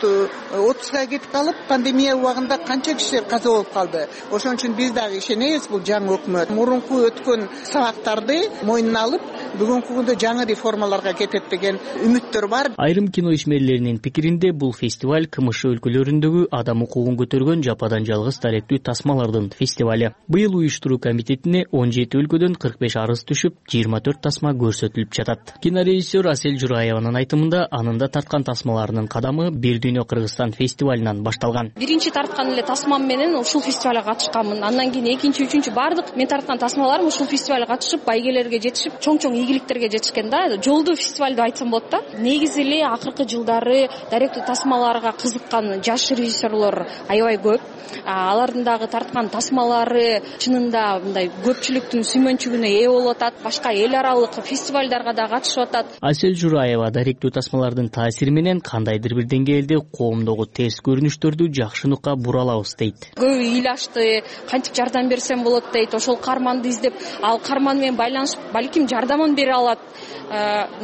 отпускага кетип калып, пандемия убагында канча кишилер каза болуп калды. Ошон үчүн биз дагы ишенебиз, бул жаңы өкмөт мурунку өткөн сабактарды мойнуна алып, бүгүнкү күндө жаңы реформаларга кетет деген үмүттөр бар. Айрым кино ишмерлеринин пикиринде бул фестиваль КМШ өлкөлөрүндөгү адам укугун көтөргөн жападан жалгыз даректүү тасмалардын фестивале. Быйыл уюштуруу комитетине он жети өлкөдөн кырк беш арыз түшүп, жыйырма төрт тасма көрсөтүлүп жатат. Кинорежиссер Асель Жураеванын айтымында, анында тарткан тасмаларынын кадамы Бир дүйнө Кыргызстан фестивалынан башталган. Биринчи тарткан эле тасмам менен ушул фестивалга катышканмын. Андан кийин экинчи, үчүнчү бардык мен тарткан тасмаларым ушул фестивалга катышып, байгелерге жетишип, чоң-чоң ийгиликтерге жетишкен да. Жолдуу фестиваль деп айтсам болот да. Негизи эле акыркы жылдары даректүү тасмаларга кызыккан жаш режиссерлор аябай көп. Алардын дагы тарткан тасмалары чынында мындай көпчүлүктүн сүймөнчүгүнө ээ болуп атат. Башка эл аралык фестивалдарга да катышып атат. Асель Жураева даректүү тасмалардын таасири менен кандайдыр бир деңгээлде коомдогу терс көрүнүштөрдү жакшы нукка буралабыз дейт. Көбү ыйлашты, кантип жардам берсем болот дейт. Ошол карманды издеп, ал карман менен байланышып, балким жардамын бере алат.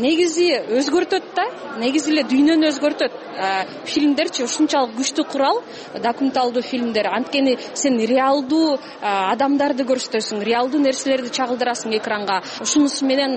негизи өзгөртөт да, негизи эле дүйнөнү өзгөртөт. Фильмдерчи ушунчалык күчтүү курал, документалдуу фильмдер. Анткени сен реалдуу адамдарды көрсөтөсүң, реалдуу нерселерди чагылдырасың экранга. Ушунусу менен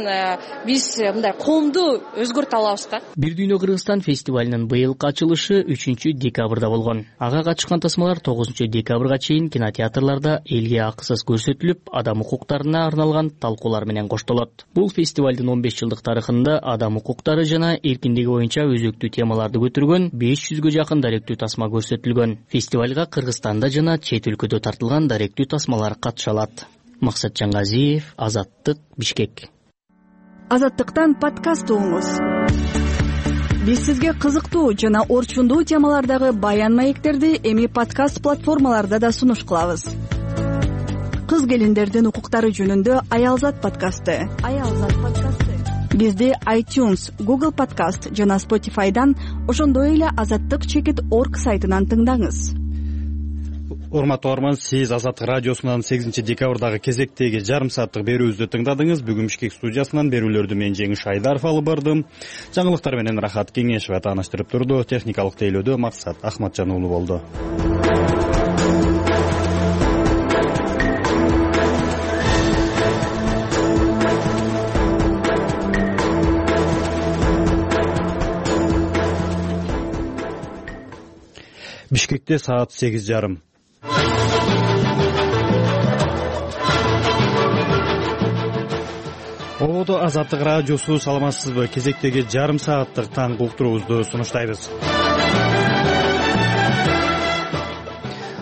биз мындай коомду өзгөртө алабыз да. Бир дүйнө Кыргызстан фестивалынын быйылкы ачылышы үчүнчү декабрда болгон. Ага катышкан тасмалар тогузунчу декабрга чейин кинотеатрларда элге акысыз көрсөтүлүп, адам укуктарына арналган талкуулар менен коштолот. Бул фестивалдын он беш жылдык тарыхында адам укуктары жана эркиндиги боюнча өзөктүү темаларды көтөргөн беш жүзгө жакын даректүү тасма көрсөтүлгөн. Фестивалга Кыргызстанда жана чет өлкөдө тартылган даректүү тасмалар катыша алат. Максат Жаңгазиев, Азаттык, Бишкек. Азаттыктан подкаст угуңуз. Биз сизге кызыктуу жана орчундуу темалардагы баян маектерди эми подкаст платформаларда да сунуш кылабыз. Кыз келиндердин укуктары жөнүндө Аялзат подкасты. Аялзат подкасты. Бизди iTunes, Google Podcast жана Spotify'дан, ошондой эле азаттык чекит точка орг сайтынан тыңдаңыз. Урматтуу угарман, сиз Азаттык радиосунан сегизинчи декабрдагы кезектеги жарым сааттык берүүбүздү тыңдадыңыз. Бүгүн Бишкек студиясынан берүүлөрдү мен Жеңиш Айдаров алып бардым. Жаңылыктар менен Рахат Кеңешова тааныштырып турду. Техникалык тейлөөдө Максат Ахматжан уулу болду. Бишкекте саат сегиз жарым. Ободо Азаттык радиосу, саламатсызбы? Кезектеги жарым сааттык таңкы уктуруубузду сунуштайбыз.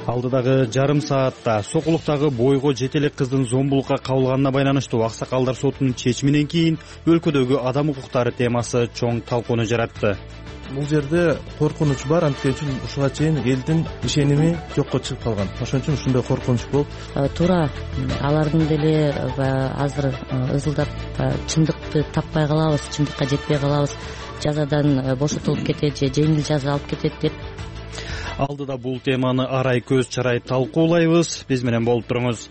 Алдыдагы жарым саатта Сокулуктагы бойго жете элек кыздын зомбулукка кабылганына байланыштуу аксакалдар сотунун чечиминен кийин өлкөдөгү адам укуктары темасы чоң талкууну жаратты. Бул жерде коркунуч бар, анткени үчүн ушуга чейин элдин ишеними жокко чыгып калган. Ошон үчүн ушундай коркунуч болуп, туура алардын деле азыр ызылдап чындыкты таппай калабыз, чындыкка жетпей калабыз, жазадан бошотулуп кетет же жеңил жаза алып кетет деп. Алдыда бул теманы арай көз чарай талкуулайбыз. Биз менен болуп туруңуз.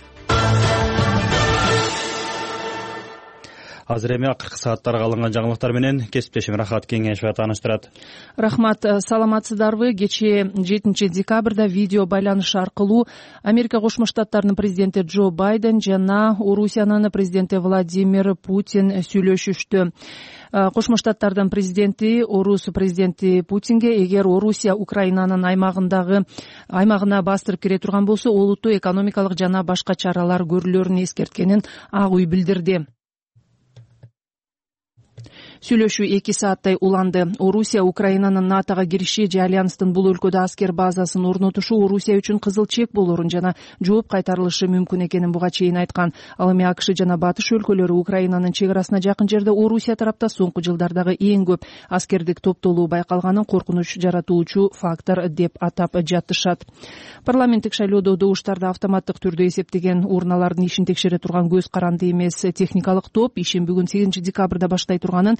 Азыр эми акыркы сааттарга алынган жаңылыктар менен кесиптешим Рахат Кеңешова тааныштырат. Рахмат, саламатсыздарбы? Кечээ жетинчи декабрда видео байланыш аркылуу Америка Кошмо Штаттарынын президенти Джо Байден жана Орусиянын президенти Владимир Путин сүйлөшүштү. Кошмо Штаттардын президенти Орус президенти Путинге эгер Орусия Украинанын аймагындагы аймагына бастырып кире турган болсо, олуттуу экономикалык жана башка чаралар көрүлөрүн эскерткенин Ак үй билдирди. Сүйлөшүү эки сааттай уланды. Орусия Украинанын НАТОга кириши же альянстын бул өлкөдө аскер базасын орнотушу Орусия үчүн кызыл чек болорун жана жооп кайтарылышы мүмкүн экенин буга чейин айткан. Ал эми АКШ жана Батыш өлкөлөрү Украинанын чек арасына жакын жерде Орусия тарапта соңку жылдардагы эң көп аскердик топтолуу байкалганын коркунуч жаратуучу фактор деп атап жатышат. Парламенттик шайлоодо добуштарды автоматтык түрдө эсептеген урналардын ишин текшере турган көз каранды эмес техникалык топ ишин бүгүн сегизинчи декабрда баштай турганын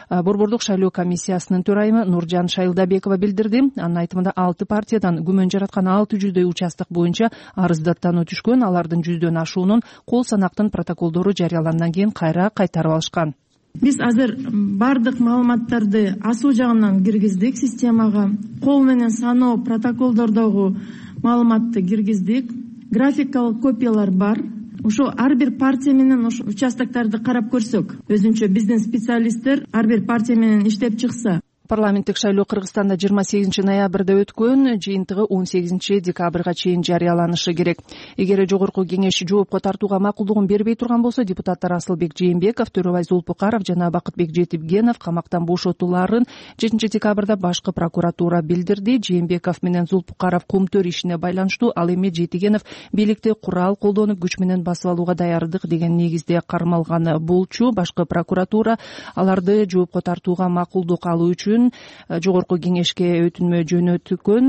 Борбордук шайлоо комиссиясынын төрайымы Нуржан Шайлдабекова билдирди. Анын айтымында алты партиядан күмөн жараткан алты жүздөй участок боюнча арыздаттануу түшкөн. Алардын жүздөн ашуунун кол санактын протоколдору жарыялангандан кийин кайра кайтарып алышкан. Биз азыр бардык маалыматтарды асуу жагынан киргиздик системага. Кол менен саноо протоколдордогу маалыматты киргиздик. Графикалык копиялар бар. Ошо ар бир партия менен ошо участокторду карап көрсөк, өзүнчө биздин специалисттер ар бир партия менен иштеп чыкса. Парламенттик шайлоо Кыргызстанда жыйырма сегизинчи ноябрда өткөн, жыйынтыгы он сегизинчи декабрга чейин жарыяланышы керек. Эгер жогорку кеңеш жоопко тартууга макулдугун бербей турган болсо, депутаттар Асылбек Жээнбеков, Төрөбай Зулпукаров жана Бакытбек Жетибгенов камактан бошотуларын жетинчи декабрда башкы прокуратура билдирди. Жээнбеков менен Зулпукаров кумтөр ишине байланыштуу, ал эми Жетигенов бийликти курал колдонуп күч менен басып алууга даярдык деген негизде кармалган болчу. Башкы прокуратура аларды жоопко тартууга макулдук алуу үчүн жогорку кеңешке өтүнмө жөнөткөн.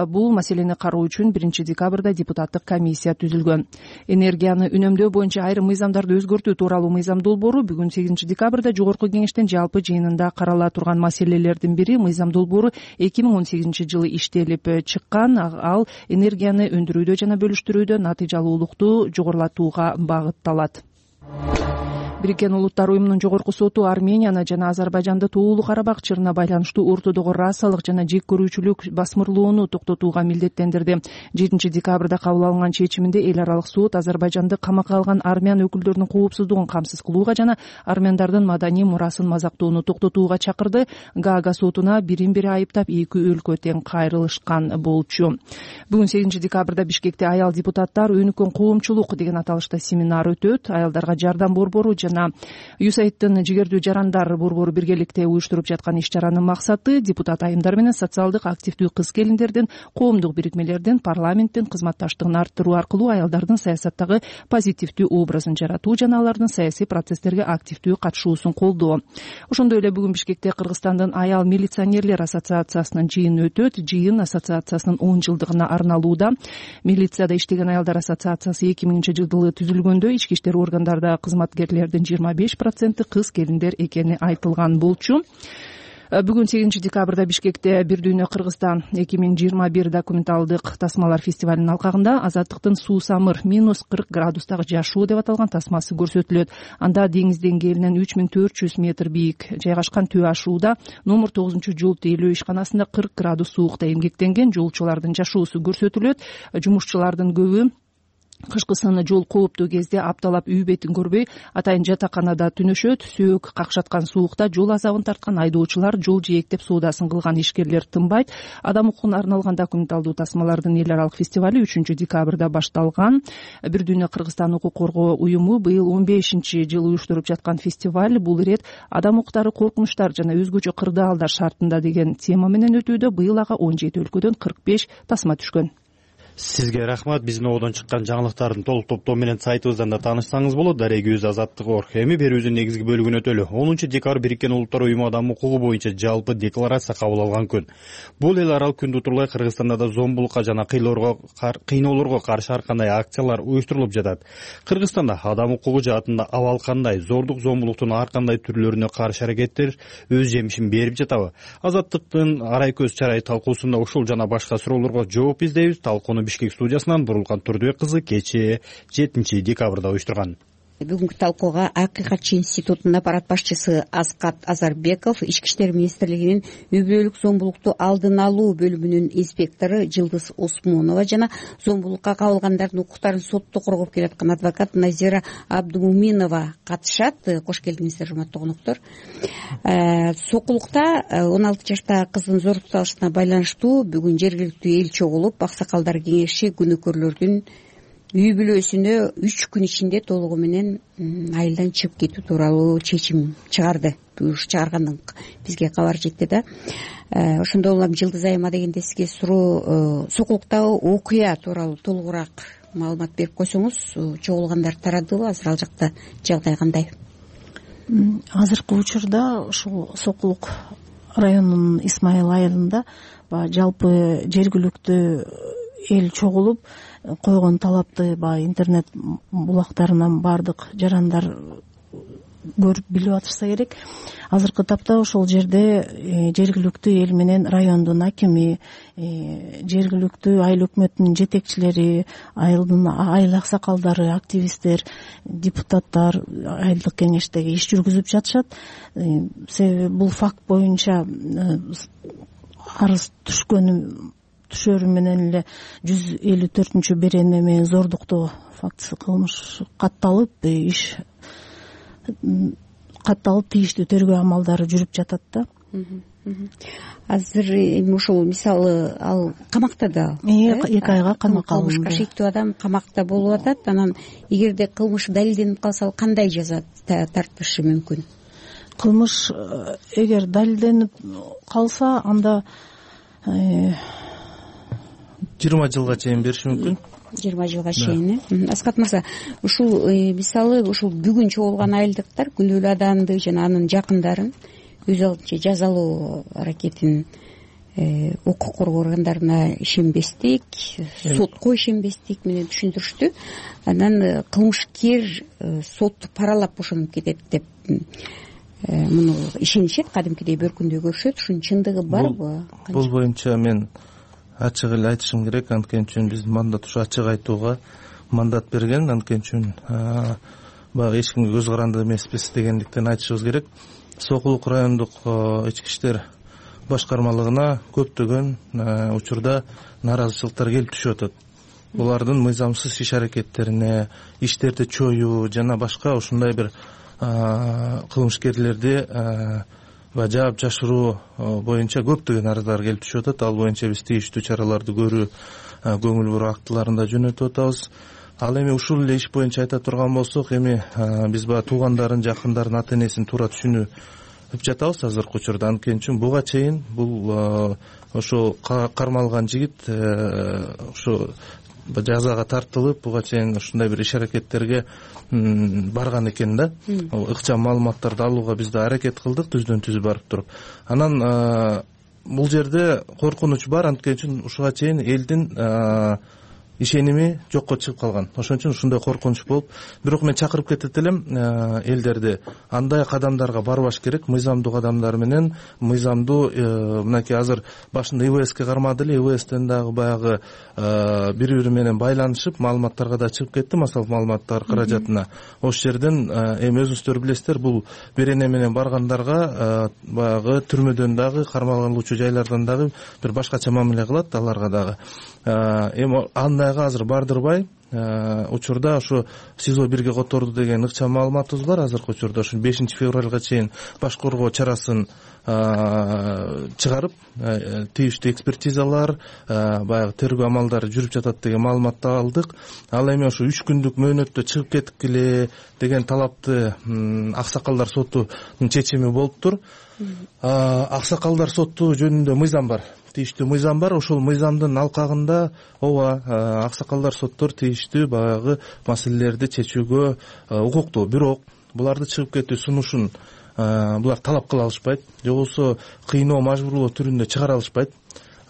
Бул маселени кароо үчүн биринчи декабрда депутаттык комиссия түзүлгөн. Энергияны үнөмдөө боюнча айрым мыйзамдарды өзгөртүү тууралуу мыйзам долбоору бүгүн сегизинчи декабрда жогорку кеңештин жалпы жыйынында карала турган маселелердин бири. Мыйзам долбоору эки миң он сегизинчи жылы иштелип чыккан. Ал энергияны өндүрүүдө жана бөлүштүрүүдө натыйжалуулукту жогорулатууга багытталат. Бириккен Улуттар уюмунун жогорку соту Арменияны жана Азербайжанды Тоолуу Карабак чырына байланыштуу ортодогу расалык жана жек көрүүчүлүк басмырлоону токтотууга милдеттендирди. жетинчи декабрда кабыл алынган чечиминде эл аралык сот Азербайжанды камакка алган армян өкүлдөрүнүн коопсуздугун камсыз кылууга жана армяндардын маданий мурасын мазактоону токтотууга чакырды. Гаага сотуна бирин бири айыптап эки өлкө тең кайрылышкан болчу. Бүгүн сегизинчи декабрда Бишкекте аял депутаттар өнүккөн коомчулук деген аталышта семинар өтөт. Аялдарга жардам борбору жана ЮСАИДтин жигердүү жарандар борбору биргеликте уюштуруп жаткан иш-чаранын максаты депутат айымдар менен социалдык активдүү кыз-келиндердин, коомдук бирикмелердин, парламенттин кызматташтыгын арттыруу аркылуу аялдардын саясаттагы позитивдүү образын жаратуу жана алардын саясий процесстерге активдүү катышуусун колдоо. Ошондой эле бүгүн Бишкекте Кыргызстандын аял милиционерлер ассоциациясынын жыйыны өтөт. Жыйын ассоциациясынын он жылдыгына арналууда. Милицияда иштеген аялдар ассоциациясы эки миңинчи жылы түзүлгөндө ички иштер органдарда кызматкерлердин жыйырма беш проценти кыз-келиндер экени айтылган болчу. Бүгүн сегизинчи декабрда Бишкекте Бир дүйнө Кыргызстан эки миң жыйырма бир документалдык тасмалар фестивалинин алкагында Азаттыктын Суусамыр минус кырк градустагы жашоо деп аталган тасмасы көрсөтүлөт. Анда деңиз деңгээлинен үч миң төрт жүз метр бийик жайгашкан Төө ашууда номер тогузунчу жол тейлөө ишканасында кырк градус суукта эмгектенген жолчулардын жашоосу көрсөтүлөт. Жумушчулардын көбү кышкысыны жол кооптуу кезде апталап үй бетин көрбөй атайын жатаканада түнөшөт. Сөөк какшаткан суукта жол азабын тарткан айдоочулар, жол жээктеп соодасын кылган ишкерлер тынбайт. Адам укугуна арналган документалдуу тасмалардын эл аралык фестивали үчүнчү декабрда башталган. Бир дүйнө Кыргызстан укук коргоо уюму быйыл он бешинчи жыл уюштуруп жаткан фестиваль бул ирет адам укуктары, коркунучтар жана өзгөчө кырдаалдар шартында деген тема менен өтүүдө. Быйыл ага он жети өлкөдөн кырк беш тасма түшкөн. Сизге рахмат. Биздин ободон чыккан жаңылыктардын толук топтоо менен сайтыбыздан да таанышсаңыз болот. Дарегибиз Азаттык орг. Эми берүүбүздүн негизги бөлүгүнө өтөлү. онунчу декабрь Бириккен Улуттар уюму адам укугу боюнча жалпы декларация кабыл алган күн. Бул эл аралык күндү утурлай Кыргызстанда да зомбулукка жана кыйноолорго каршы ар кандай акциялар уюштурулуп жатат. Кыргызстанда адам укугу жаатында абал кандай, зордук зомбулуктун ар кандай түрлөрүнө каршы аракеттер өз жемишин берип жатабы? Азаттыктын арай көз чарай талкуусунда ушул жана башка суроолорго жооп издейбиз. Талкууну Бишкек студиясынан Бурулкан Турдубек кызы кечээ жетинчи декабрда уюштурган. Бүгүнкү талкууга Акыйкатчы институтунун аппарат башчысы Аскат Азарбеков, Ички иштер министрлигинин үй бүлөлүк зомбулукту алдын алуу бөлүмүнүн инспектору Жылдыз Осмонова жана зомбулукка кабылгандардын укуктарын сотто коргоп келаткан адвокат Назира Абдумуминова катышат. Кош келиңиздер, урматтуу коноктор. Сокулукта он алты жаштагы кыздын зордукталышына байланыштуу бүгүн жергиликтүү эл чогулуп, Аксакалдар кеңеши күнөөкөрлөрдүн үй бүлөсүнө үч күн ичинде толугу менен айылдан чыгып кетүү тууралуу чечим чыгарды. Буюруш чыгаргандан бизге кабар жетти да. Ошондой улам Жылдыз айыма дегенде сизге суроо, Сокулуктагы окуя тууралуу толугураак маалымат берип койсоңуз, чогулгандар тарадыбы? Азыр ал жакта жагдай кандай? Азыркы учурда ушул Сокулук районунун Исмайыл айылында жалпы жергиликтүү эл чогулуп койгон талапты баягы интернет булактарынан баардык жарандар көрүп билип атышса керек. Азыркы тапта ошол жерде жергиликтүү эл менен райондун акими, жергиликтүү айыл өкмөтүнүн жетекчилери, айылдын айыл аксакалдары, активисттер, депутаттар айылдык кеңештеги иш жүргүзүп жатышат. Себеби бул факт боюнча арыз түшкөнү түшөрү менен эле жүз элүү төртүнчү беренеме зордуктоо фактысы кылмыш катталып, иш катталып тийиштүү тергөө амалдары жүрүп жатат да. Азыр эми ушул мисалы ал камакта да. эки айга камакка алынды. Кылмышка шектүү адам камакта болуп атат. Анан эгерде кылмыш далилденип калса, ал кандай жаза тартышы мүмкүн? Кылмыш эгер далилденип калса, анда жыйырма жылга чейин бериши мүмкүн. жыйырма жылга чейин. Аскат мырза, ушул мисалы ушул бүгүн чогулган айылдыктар күнөөлүү адамды жана анын жакындарын өз алдынча жазалоо аракетин укук коргоо органдарына ишенбестик, сотко ишенбестик менен түшүндүрүштү. Анан кылмышкер сотту паралап бошонуп кетет деп муну ишенишет, кадимкидей бөркүндөй көрүшөт. Ушунун чындыгы барбы? Бул боюнча мен ачык эле айтышым керек. Анткени үчүн биздин мандат ушу ачык айтууга мандат берген. Анткени үчүн баягы эч кимге көз каранды эмеспиз дегендиктен айтышыбыз керек. Сокулук райондук ички иштер башкармалыгына көптөгөн учурда нааразычылыктар келип түшүп атат. Булардын мыйзамсыз иш аракеттерине, иштерди чоюу жана башка ушундай бир кылмышкерлерди жаап жашыруу боюнча көптөгөн арыздар келип түшүп атат. Ал боюнча биз тийиштүү чараларды көрүү, көңүл буруу актыларын да жөнөтүп атабыз. Ал эми ушул эле иш боюнча айта турган болсок, эми биз баягы туугандарын, жакындарын, ата энесин туура түшүнүп жатабыз азыркы учурда. Анткени үчүн буга чейин бул ошо кармалган жигит ошо жазага тартылып, буга чейин ушундай бир иш аракеттерге барган экен да. Ыкчам маалыматтарды алууга биз да аракет кылдык, түздөн түз барып туруп. Анан бул жерде коркунуч бар, анткени үчүн ушуга чейин элдин ишеними жокко чыгып калган. Ошон үчүн ушундай коркунуч болуп, бирок мен чакырып кетет элем элдерди андай кадамдарга барбаш керек. Мыйзамдуу кадамдар менен, мыйзамдуу мынакей азыр башында ИВСке кармады эле, ИВСтен дагы баягы бири-бири менен байланышып маалыматтарга да чыгып кетти, массалык маалыматтар каражатына. Ошол жерден эми өзүңүздөр билесиздер, бул берене менен баргандарга баягы түрмөдөн дагы, кармалган жайлардан дагы бир башкача мамиле кылат аларга дагы. Эми андайга азыр бардырбай, учурда ошо СИЗО бирге которду деген ыкчам маалыматыбыз бар. Азыркы учурда ошо бешинчи февралга чейин баш коргоо чарасын чыгарып, тийиштүү экспертизалар, баягы тергөө амалдары жүрүп жатат деген маалыматты алдык. Ал эми ошо үч күндүк мөөнөттө чыгып кеткиле деген талапты Аксакалдар сотунун чечими болуптур. Аксакалдар соту жөнүндө мыйзам бар. Тийиштүү мыйзам бар. Ошол мыйзамдын алкагында ооба аксакалдар соттор тийиштүү баягы маселелерди чечүүгө укуктуу. Бирок буларды чыгып кетүү сунушун булар талап кыла алышпайт, же болбосо кыйноо, мажбурлоо түрүндө чыгара алышпайт.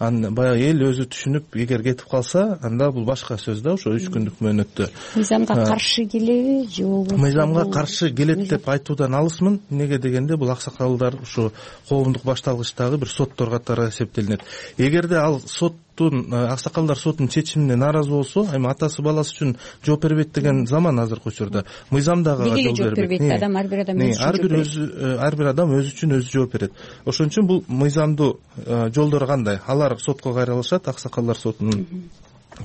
Баягы эл өзү түшүнүп, эгер кетип калса, анда бул башка сөз да, ошо үч күндүк мөөнөттө. Мыйзамга каршы келеби, же болбосо? Мыйзамга каршы келет деп айтуудан алысмын. Эмнеге дегенде, бул аксакалдар ушу коомдук башталгычтагы бир соттор катары эсептелинет. Эгерде ал сот Аксакалдар сотунун чечимине нааразы болсо, эми атасы баласы үчүн жооп бербейт деген заман азыркы учурда. Мыйзам дагы жооп бербейт. Адам ар бир адам өзү ар бир өзү ар бир адам өзү үчүн өзү жооп берет. Ошон үчүн бул мыйзамдуу жолдору кандай? Алар сотко кайрылышат, Аксакалдар сотунун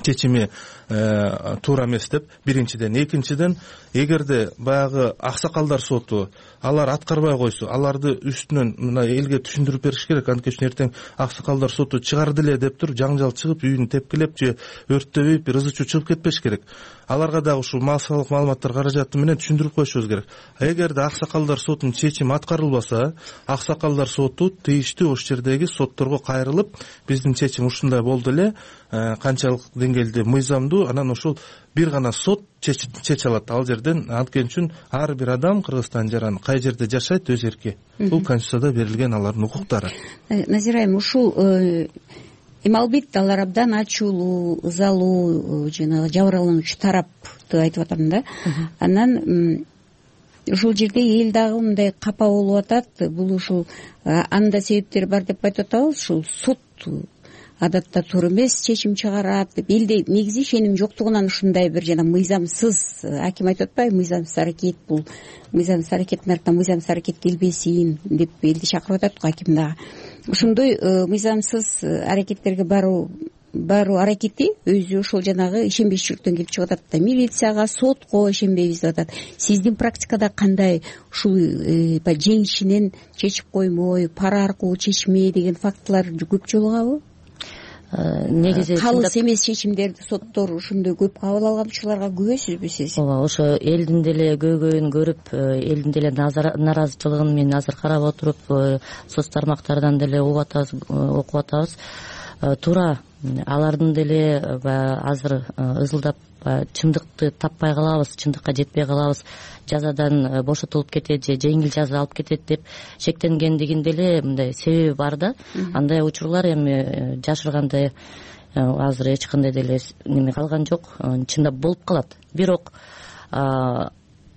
чечими туура эмес деп. Биринчиден, экинчиден, эгерде баягы Аксакалдар соту алар аткарбай койсо, аларды үстүнөн мына элге түшүндүрүп бериш керек. Анткени үчүн эртең Аксакалдар соту чыгарды эле деп туруп, жаңжал чыгып, үйүн тепкилеп же өрттөп, бир ызы чуу чыгып кетпеш керек. Аларга дагы ушул массалык маалыматтар каражаты менен түшүндүрүп коюшубуз керек. Эгерде Аксакалдар сотунун чечими аткарылбаса, Аксакалдар соту тийиштүү ошол жердеги сотторго кайрылып, биздин чечим ушундай болду эле, канчалык деңгээлде мыйзамдуу, анан ошол бир гана сот чече алат ал жерден. Анткени үчүн ар бир адам Кыргызстан жаран кай жерде жашайт өз эрки. Бул Конституцияда берилген алардын укуктары. Назира айым, ушул эми албетте алар абдан ачуулуу, ызалуу, жанагы жабырлануучу тарапты айтып атам да. Анан ушул жерде эл дагы мындай капа болуп атат. Бул ушул анда себептери бар деп айтып атабыз. Ушул сот адатта туура эмес чечим чыгарат деп, элде негизи ишеним жоктугунан ушундай бир жана мыйзамсыз, аким айтып атпайбы, мыйзамсыз аракет, бул мыйзамсыз аракеттин артынан мыйзамсыз аракет келбесин деп элди чакырып атат го аким дагы. Ошондой мыйзамсыз аракеттерге баруу баруу аракети өзү ошол жанагы ишенбешчиликтен келип чыгып атат да. Милицияга, сотко ишенбейбиз деп атат. Сиздин практикада кандай ушул жеңишинен чечип коймой, пара аркылуу чечме деген фактылар көп жолугабы? Негизи калыс эмес чечимдерди соттор ушундай көп кабыл алган учурларга күбөсүзбү сиз? Ооба, ошо элдин деле көйгөйүн көрүп, элдин деле нааразычылыгын мен азыр карап отуруп, соц тармактардан деле угуп атабыз, окуп атабыз. Туура алардын деле азыр ызылдап чындыкты таппай калабыз, чындыкка жетпей калабыз, жазадан бошотулуп кетет же жеңил жаза алып кетет деп шектенгендигин деле мындай себеби бар да. Андай учурлар эми жашыргандай азыр эч кандай деле неме калган жок, чындап болуп калат. Бирок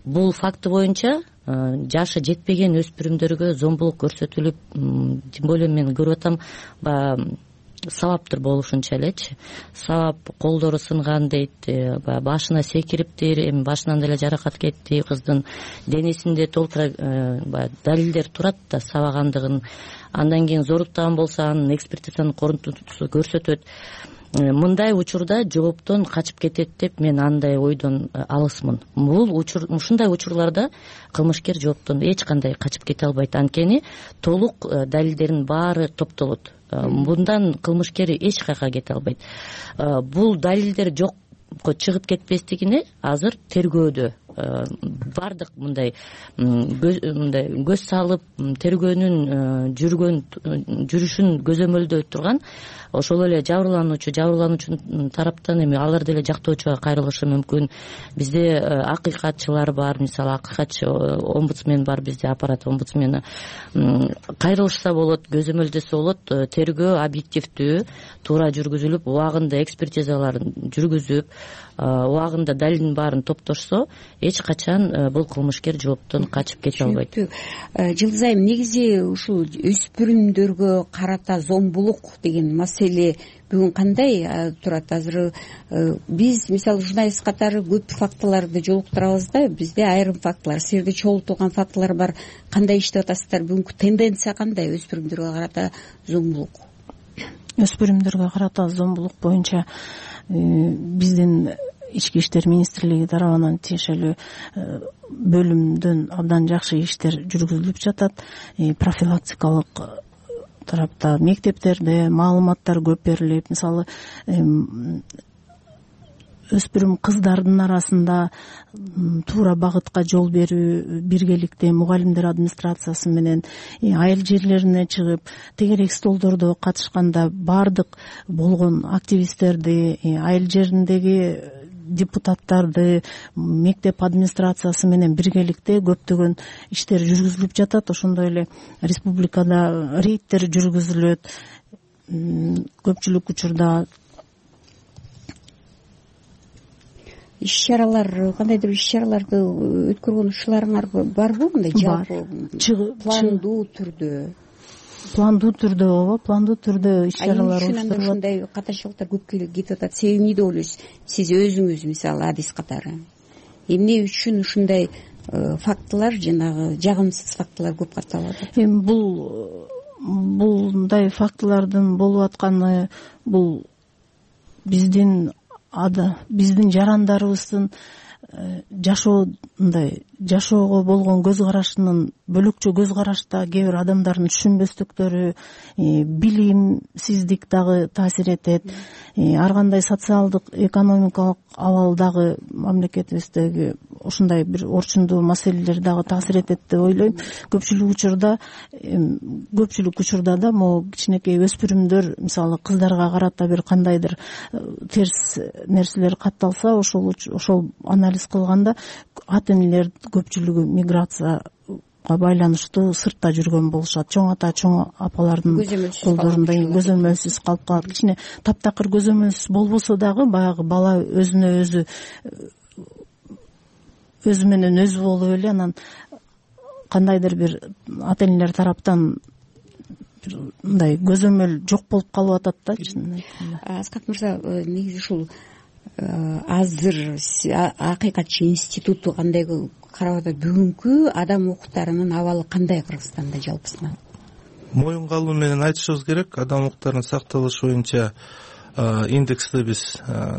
бул факты боюнча жашы жетпеген өспүрүмдөргө зомбулук көрсөтүлүп, тем более мен көрүп атам, сабаптыр болушунча элечи. Сабап колдору сынган дейт, баягы башына секириптир, эми башынан деле жаракат кетти, кыздын денесинде толтура баягы далилдер турат да сабагандыгын. Андан кийин зоруктаган болсо анын экспертизанын корунтусу көрсөтөт. Мындай учурда жооптон качып кетет деп мен андай ойдон алысмын. Бул учур ушундай учурларда кылмышкер жооптон эч кандай качып кете албайт, анткени толук далилдердин баары топтолот. Мындан кылмышкер эч кайка кете албайт. Бул далилдер жокко чыгып кетпестигине азыр тергөөдө бардык мындай мындай көз салып тергөөнүн жүргөн жүрүшүн көзөмөлдөй турган ошол эле жабырлануучу жабырлануучунун тараптан эми алар деле жактоочуга кайрылышы мүмкүн. Бизде акыйкатчылар бар, мисалы акыйкатчы омбудсмен бар, бизде аппарат омбудсмени. Кайрылышса болот, көзөмөлдөсө болот. Тергөө объективдүү туура жүргүзүлүп, убагында экспертизаларын жүргүзүп, убагында далилдин баарын топтошсо, эч качан бул кылмышкер жооптон качып кете албайт. Жылдыз айым, негизи ушул өспүрүмдөргө карата зомбулук деген маселе бүгүн кандай турат? Азыр биз мисалы журналист катары көп фактыларды жолуктурабыз да, бизде айрым фактылар, силерде чогултулган фактылар бар. Кандай иштеп атасыздар? Бүгүнкү тенденция кандай өспүрүмдөргө карата зомбулук? Өспүрүмдөргө карата зомбулук боюнча биздин Ички иштер министрлиги тарабынан тиешелүү бөлүмдөн абдан жакшы иштер жүргүзүлүп жатат. Профилактикалык тарапта мектептерде маалыматтар көп берилип, мисалы өспүрүм кыздардын арасында туура багытка жол берүү, биргеликте мугалимдер администрациясы менен айыл жерлерине чыгып, тегерек столдордо катышканда бардык болгон активисттерди, айыл жериндеги депутаттарды, мектеп администрациясы менен биргеликте көптөгөн иштер жүргүзүлүп жатат. Ошондой эле республикада рейдтер жүргүзүлөт. Көпчүлүк учурда иш-чаралар, кандайдыр иш-чараларды өткөргөн учурларыңар барбы? Мындай жалпы пландуу түрдө пландуу түрдө ооба, пландуу түрдө иш-чаралар уюштурулат. Ушундай катачылыктар көп кетип атат. Себеби эмне деп ойлойсуз? Сиз өзүңүз мисалы адис катары эмне үчүн ушундай фактылар, жанагы жагымсыз фактылар көп катталып атат? Эми бул булдай фактылардын болуп атканы бул биздин ада биздин жарандарыбыздын жашоондай жашоого болгон көз карашынын бөлөкчө көз карашта кээ бир адамдардын түшүнбөстүктөрү, билимсиздик дагы таасир этет. Ар кандай социалдык, экономикалык абал дагы мамлекетибиздеги ушундай бир орчундуу маселелер дагы таасир этет деп ойлойм. Көпчүлүк учурда көпчүлүк учурда да могу кичинекей өспүрүмдөр мисалы кыздарга карата бир кандайдыр терс нерселер катталса, ошол ошол анализ кылганда ата энелер көпчүлүгү миграцияга байланыштуу сыртта жүргөн болушат. Чоң ата, чоң апалардын колдорунда көзөмөлсүз калып калат. Кичине таптакыр көзөмөлсүз болбосо дагы баягы бала өзүнө өзү өзү менен өзү болуп эле анан кандайдыр бир ата энелер тараптан мындай көзөмөл жок болуп калып атат да. Аскат мырза, негизи ушул азыр акыйкатчы институту кандай карап атат? Бүгүнкү адам укуктарынын абалы кандай Кыргызстанда жалпысынан? Моюн калуу менен айтышыбыз керек. Адам укуктарынын сакталышы боюнча индексти биз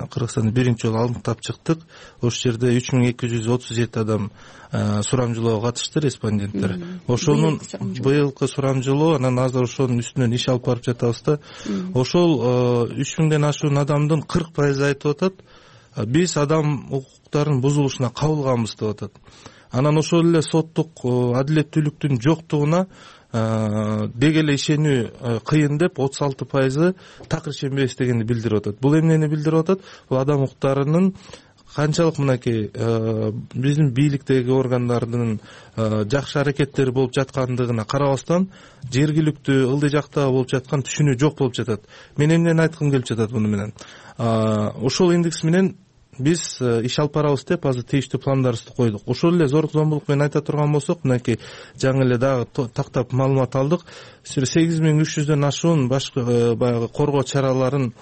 Кыргызстанда биринчи жолу аныктап чыктык. Ошол жерде үч миң эки жүз отуз жети адам сурамжылоого катышты, респонденттер. Ошонун быйылкы сурамжылоо, анан азыр ошонун үстүнөн иш алып барып жатабыз да. Ошол үч миңден ашуун адамдын кырк пайызы айтып атат, биз адам укуктарынын бузулушуна кабылганбыз деп атат. Анан ошол эле соттук адилеттүүлүктүн жоктугуна деги эле ишенүү кыйын деп отуз алты пайызы так ишенбей эстегенди билдирип атат. Бул эмнени билдирип атат? Бул адам укуктарынын канчалык мынакей биздин бийликтеги органдардын жакшы аракеттери болуп жаткандыгына карабастан жергиликтүү ылдый жакта болуп жаткан түшүнүү жок болуп жатат. Мен эмнени айткым келип жатат муну менен? Ошол индекс менен биз иш алып барабыз деп азыр тийиштүү пландарыбызды койдук. Ошол эле зордук зомбулук менен айта турган болсок, мынакей жаңы эле дагы тактап маалымат алдык. сегиз миң үч жүздөн ашуун башка баягы коргоо чараларын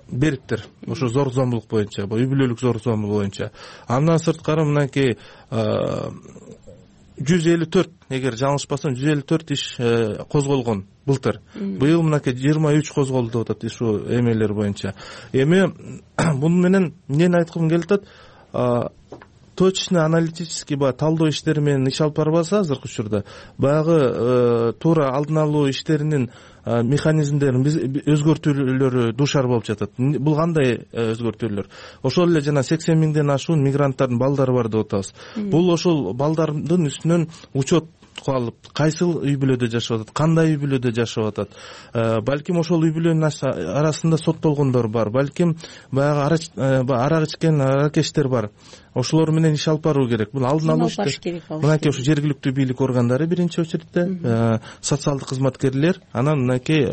бериптир. Ошо зордук зомбулук боюнча, үй бүлөлүк зордук зомбулук боюнча. Андан сырткары мынакей жүз элүү төрт, эгер жаңылышпасам, жүз элүү төрт иш козголгон былтыр. Быйыл мынакей жыйырма үч козголду деп атат ушу эмелер боюнча. Эми муну менен эмнени айткым келип атат? Точно аналитический баягы талдоо иштери менен иш алып барбаса азыркы учурда баягы туура алдын алуу иштеринин механизмдерин өзгөртүүлөрү дуушар болуп жатат. Бул кандай өзгөртүүлөр? Ошол эле жана сексен миңден ашуун мигранттардын балдары бар деп атабыз. Бул ошол балдардын үстүнөн учет алып, кайсыл үй бүлөдө жашап атат, кандай үй бүлөдө жашап атат, балким ошол үй бүлөнүн арасында соттолгондор бар, балким баягы арак ичкен аракечтер бар. Ошолор менен иш алып баруу керек. Бул алдын алуу иштери. Мынакей ушу жергиликтүү бийлик органдары биринчи очередте, социалдык кызматкерлер, анан мынакей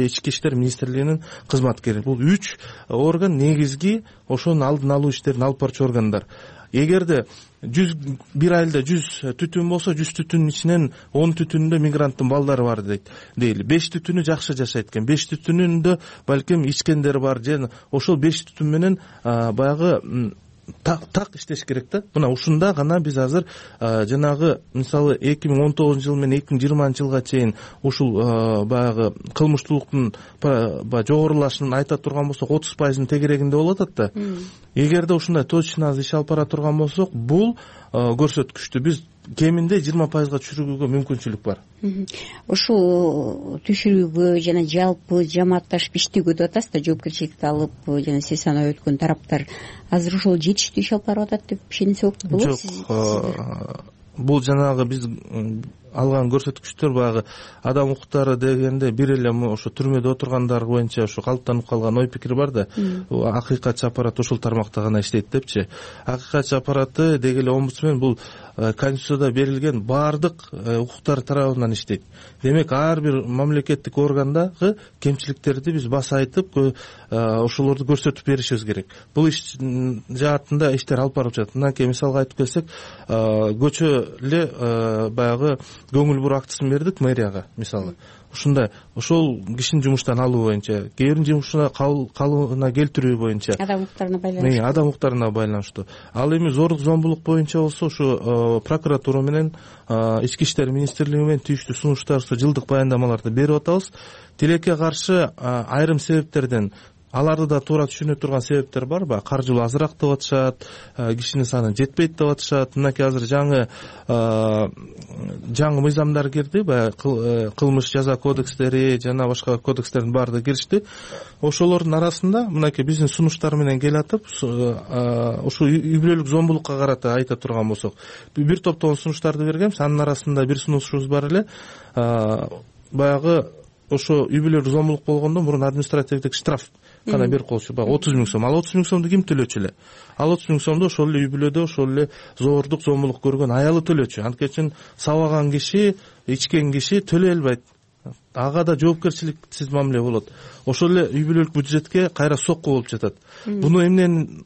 ички иштер министрлигинин кызматкери. Бул үч орган негизги ошонун алдын алуу иштерин алып барчу органдар. Эгерде жүз бир айылда жүз түтүн болсо, жүз түтүнүн ичинен он түтүнүндө мигранттын балдары бар дейт. Дейли беш түтүнү жакшы жашайт экен. беш түтүнүндө балким ичкендер бар. Жана ошол беш түтүн менен баягы так так иштеш керек да. Мына ушунда гана биз азыр жанагы мисалы эки миң он тогузунчу жыл менен эки миң жыйырманчы жылга чейин ушул баягы кылмыштуулуктун баягы жогорулашын айта турган болсок отуз пайыздын тегерегинде болуп атат да. Эгерде ушундай точно азыр иш алып бара турган болсок, бул көрсөткүчтү биз кеминде жыйырма пайызга түшүрүүгө мүмкүнчүлүк бар. Ушул түшүрүүгө жана жалпы жамаатташып иштөөгө деп атасыз да, жоопкерчиликти алып жана сиз санап өткөн тараптар азыр ошол жетиштүү иш алып барып атат деп ишенсек болот. Жок, бул жанагы биз алган көрсөткүчтөр баягы адам укуктары дегенде бир эле ошо түрмөдө отургандар боюнча ошо калыптанып калган ой пикир бар да. Акыйкатчы аппарат ушул тармакта гана иштейт депчи. Акыйкатчы аппараты деги эле омбудсмен бул Конституцияда берилген баардык укуктар тарабынан иштейт. Демек ар бир мамлекеттик органдагы кемчиликтерди биз баса айтып, ошолорду көрсөтүп беришибиз керек. Бул иш жаатында иштер алып барып жатат. Мынакей мисалга айтып келсек, көчө эле баягы көңүл буруу актысын бердик мэрияга мисалы. Ушундай ошол кишини жумуштан алуу боюнча, кээ бирин жумушуна калыбына келтирүү боюнча, адам укуктарына байланыштуу. Адам укуктарына байланыштуу. Ал эми зордук зомбулук боюнча болсо, ушу прокуратура менен ички иштер министрлиги менен тийиштүү сунуштарыбызды жылдык баяндамаларды берип атабыз. Тилекке каршы айрым себептерден, аларды да туура түшүнө турган себептер бар. Баягы каржылуу азыраак деп атышат, кишинин саны жетпейт деп атышат. Мынакей азыр жаңы жаңы мыйзамдар кирди, баягы кылмыш жаза кодекстери жана башка кодекстердин баардыгы киришти. Ошолордун арасында мынакей биздин сунуштар менен келатып, ушу үй бүлөлүк зомбулукка карата айта турган болсок, бир топтогон сунуштарды бергенбиз. Анын арасында бир сунушубуз бар эле, баягы ошо үй бүлөлүк зомбулук болгондо мурун административдик штраф кана берип коюлчу, баягы отуз миң сом. Ал отуз миң сомду ким төлөчү эле? Ал отуз миң сомду ошол эле үй бүлөдө ошол эле зордук зомбулук көргөн аялы төлөчү. Анткени сабаган киши, ичкен киши төлөй албайт. Ага да жоопкерчиликсиз мамиле болот. Ошол эле үй бүлөлүк бюджетке кайра сокку болуп жатат. Буну эмнен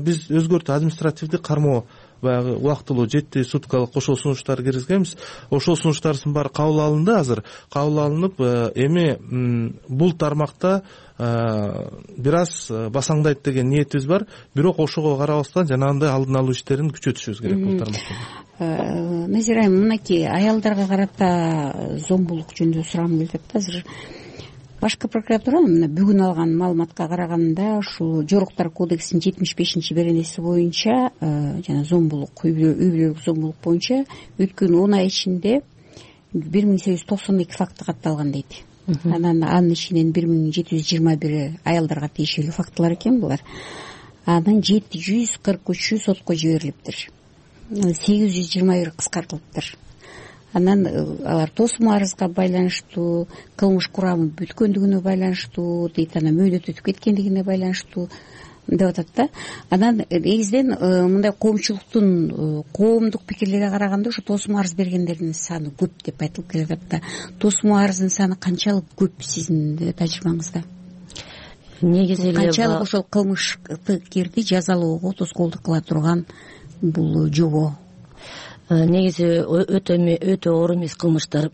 биз өзгөртүп административдик кармоо баягы убактылуу жети суткалык ошол сунуштар киргизгенбиз. Ошол сунуштардын баары кабыл алынды азыр. Кабыл алынып, эми бул тармакта бир аз басаңдайт деген ниетибиз бар. Бирок ошого карабастан жанагындай алдын алуу иштерин күчөтүшүбүз керек бул тармакта. Назира айым, мынакей аялдарга карата зомбулук жөнүндө сурамым келип атат. Азыр башкы прокуратура мына бүгүн алган маалыматка караганда ушул Жоруктар кодексинин жетимиш бешинчи беренеси боюнча жана зомбулук, үй бүлөлүк зомбулук боюнча өткөн он ай ичинде бир миң сегиз жүз токсон эки факты катталган дейт. Анан анын ичинен бир миң жети жүз жыйырма бири аялдарга тиешелүү фактылар экен булар. Анан жети жүз кырк үчү сотко жиберилиптир. сегиз жүз жыйырма бир кыскартылыптыр. Анан алар тосмо арызга байланыштуу, кылмыш курамы бүткөндүгүнө байланыштуу дейт, анан мөөнөт өтүп кеткендигине байланыштуу деп атат да. Анан негизинен мындай коомчулуктун коомдук пикирлерине караганда ошо тосмо арыз бергендердин саны көп деп айтылып келатат да. Тосмо арыздын саны канчалык көп сиздин тажрыйбаңызда? негизи эле канчалык ошол кылмышкерди жазалоого тоскоолдук кыла турган бул жобо? Негизи өтө өтө оор эмес кылмыштар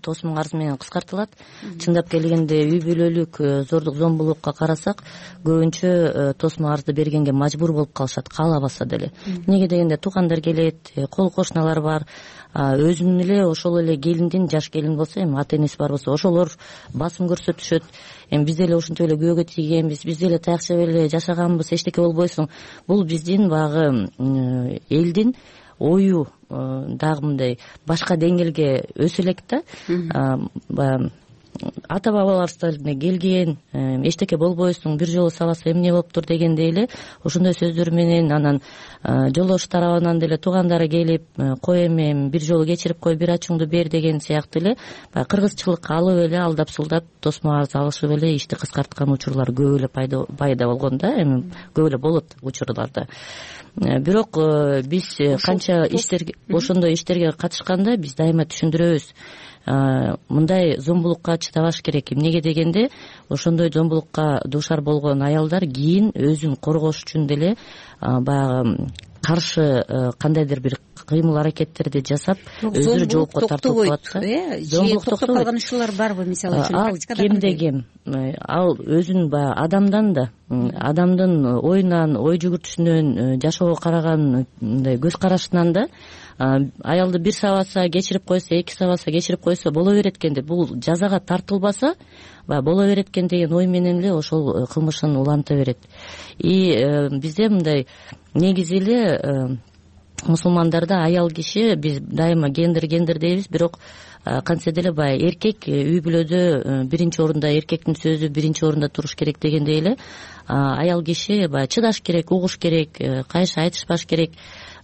тосмун арызы менен кыскартылат. Чындап келгенде үй бүлөлүк зордук зомбулукка карасак, көбүнчө тосмун арызды бергенге мажбур болуп калышат, каалабаса деле. Эмнеге дегенде туугандар келет, кол кошуналар бар, өзүнүн эле ошол эле келиндин, жаш келин болсо, эми ата энеси бар болсо, ошолор басым көрсөтүшөт. Эми биз деле ушинтип эле күйөөгө тийгенбиз, биз деле таякчап эле жашаганбыз, эчтеке болбойсуң. Бул биздин баягы элдин ою дагы мындай башка деңгээлге өсө элек да. Баягы ата бабаларыбыздан келген, эчтеке болбойсуң, бир жолу сабаса эмне болуптур дегендей эле ошондой сөздөр менен анан жолдош тарабынан деле туугандары келип, кой эми бир жолу кечирип кой, бир ачууңду бер деген сыяктуу эле баягы кыргызчылыкка алып эле алдап сулдап тосмо арыз алышып эле ишти кыскарткан учурлар көп эле пайда болгон да. Эми көп эле болот учурларда. Бирок биз канча иштерге ошондой иштерге катышканда биз дайыма түшүндүрөбүз. Мындай зомбулукка чыдабаш керек. Эмнеге дегенде ошондой зомбулукка дуушар болгон аялдар кийин өзүн коргош үчүн деле баягы каршы кандайдыр бир кыймыл аракеттерди жасап өзүрө жоопко тартылып калат да. Зомбулук токтоп калган учурлар барбы, мисалы үчүн? Ал кемде кем. Ал өзүн баягы адамдан да, адамдын оюнан, ой жүгүртүшүнөн, жашоого караган мындай көз карашынан да аялды бир сабаса, кечирип койсо, эки сабаса, кечирип койсо боло берет экен деп, бул жазага тартылбаса баягы боло берет экен деген ой менен эле ошол кылмышын уланта берет. И бизде мындай негизи эле мусулмандарда аял киши, биз дайыма гендер гендер дейбиз, бирок кантсе деле баягы эркек үй бүлөдө биринчи орунда, эркектин сөзү биринчи орунда туруш керек дегендей эле аял киши баягы чыдаш керек, угуш керек, кайшы айтышпаш керек.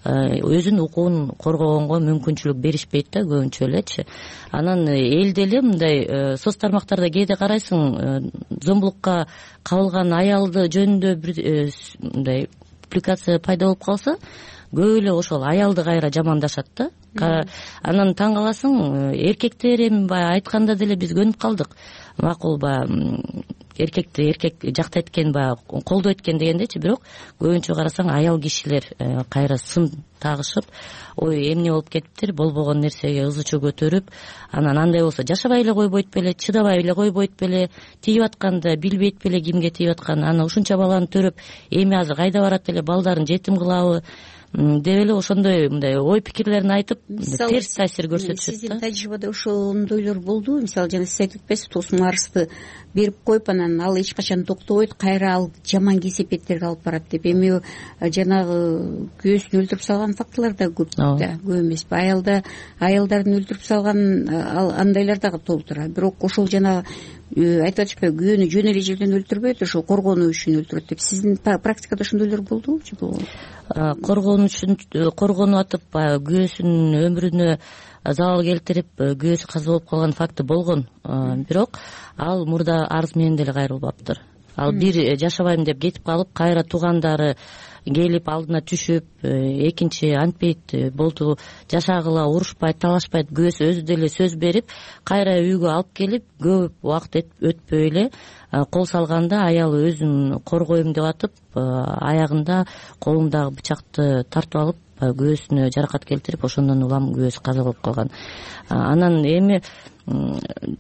Өзүнүн укугун коргогонго мүмкүнчүлүк беришпейт да көбүнчө элечи. Анан элде эле мындай соц тармактарда кээде карайсың, зомбулукка кабылган аялды жөнүндө бир мындай публикация пайда болуп калса, көп эле ошол аялды кайра жамандашат да. Анан таң каласың, эркектер эми баягы айтканда деле биз көнүп калдык. Макул баягы эркекти эркек жактайт экен, баягы колдойт экен дегендечи, бирок көбүнчө карасаң аял кишилер кайра сын тагышып, ой эмне болуп кетиптир, болбогон нерсеге ызы чуу көтөрүп, анан андай болсо жашабай эле койбойт беле, чыдабай эле койбойт беле, тийип атканда билбейт беле кимге тийип атканын, анан ушунча баланы төрөп эми азыр кайда барат эле, балдарын жетим кылабы деп эле ошондой мындай ой пикирлерин айтып терс таасир көрсөтүшөт да. Сиздин тажрыйбада ошондойлор болдубу? Мисалы жана сиз айтып атпайсызбы, тосмун арызды берип коюп анан ал эч качан токтобойт, кайра ал жаман кесепеттерге алып барат деп. Эми жанагы күйөөсүн өлтүрүп салган фактылар да көп да, көп эмеспи? Аялда аялдарын өлтүрүп салган андайлар дагы толтура. Бирок ошол жанагы айтып атышпайбы, күйөөнү жөн эле жерден өлтүрбөйт, ошол коргонуу үчүн өлтүрөт деп. Сиздин практикада ошондойлор болдубу? Коргонуу үчүн коргонуп атып, баягы күйөөсүнүн өмүрүнө залал келтирип, күйөөсү каза болуп калган факты болгон. Бирок ал мурда арыз менен деле кайрылбаптыр. Ал бир жашабайм деп кетип калып, кайра туугандары келип алдына түшүп, экинчи антпейт болду, жашагыла, урушпайт, талашпайт, күйөөсү өзү деле сөз берип, кайра үйгө алып келип, көп убакыт өтпөй эле кол салганда аял өзүн коргойм деп атып, аягында колундагы бычакты тартып алып, күйөөсүнө жаракат келтирип, ошондон улам күйөөсү каза болуп калган. Анан эми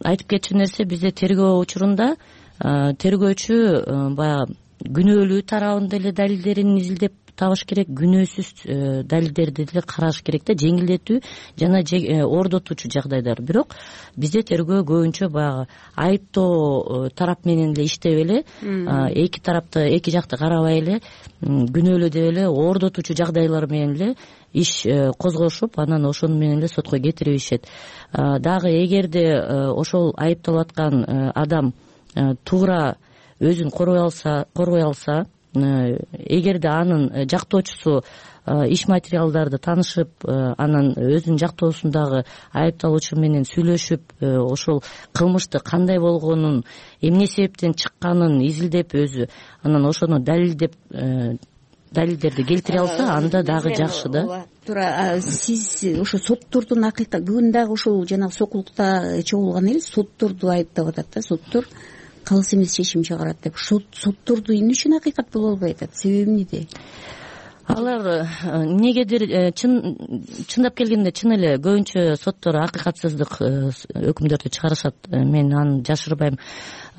айтып кетчү нерсе, бизде тергөө учурунда тергөөчү баягы күнөөлүү тарабын деле далилдерин изилдеп табыш керек, күнөөсүз далилдерди деле караш керек да, жеңилдетүү жана ордотуучу жагдайлар. Бирок бизде тергөө көбүнчө баягы айыптоо тарап менен эле иштеп эле, эки тарапты, эки жакты карабай эле, күнөөлүү деп эле ордотуучу жагдайлар менен эле иш козгошуп, анан ошону менен эле сотко кетирип ишет. Дагы эгерде ошол айыпталып аткан адам туура өзүн коргой алса, коргой алса, эгерде анын жактоочусу иш материалдарды таанышып, анан өзүнүн жактоосундагы айыпталуучу менен сүйлөшүп, ошол кылмышты кандай болгонун, эмне себептен чыкканын изилдеп өзү, анан ошону далилдеп далилдерди келтире алса, анда дагы жакшы да. Туура, сиз ошо соттордун акыйкат бүгүн дагы ошол жанагы сокулукта чогулган эл сотторду айыптап атат да, соттор калыс эмес чечим чыгарат деп сотторду эмне үчүн акыйкат боло албай атат, себеби эмнеде? Алар эмнегедир чындап келгенде чын эле көбүнчө соттор акыйкатсыздык өкүмдөрдү чыгарышат, мен аны жашырбайм.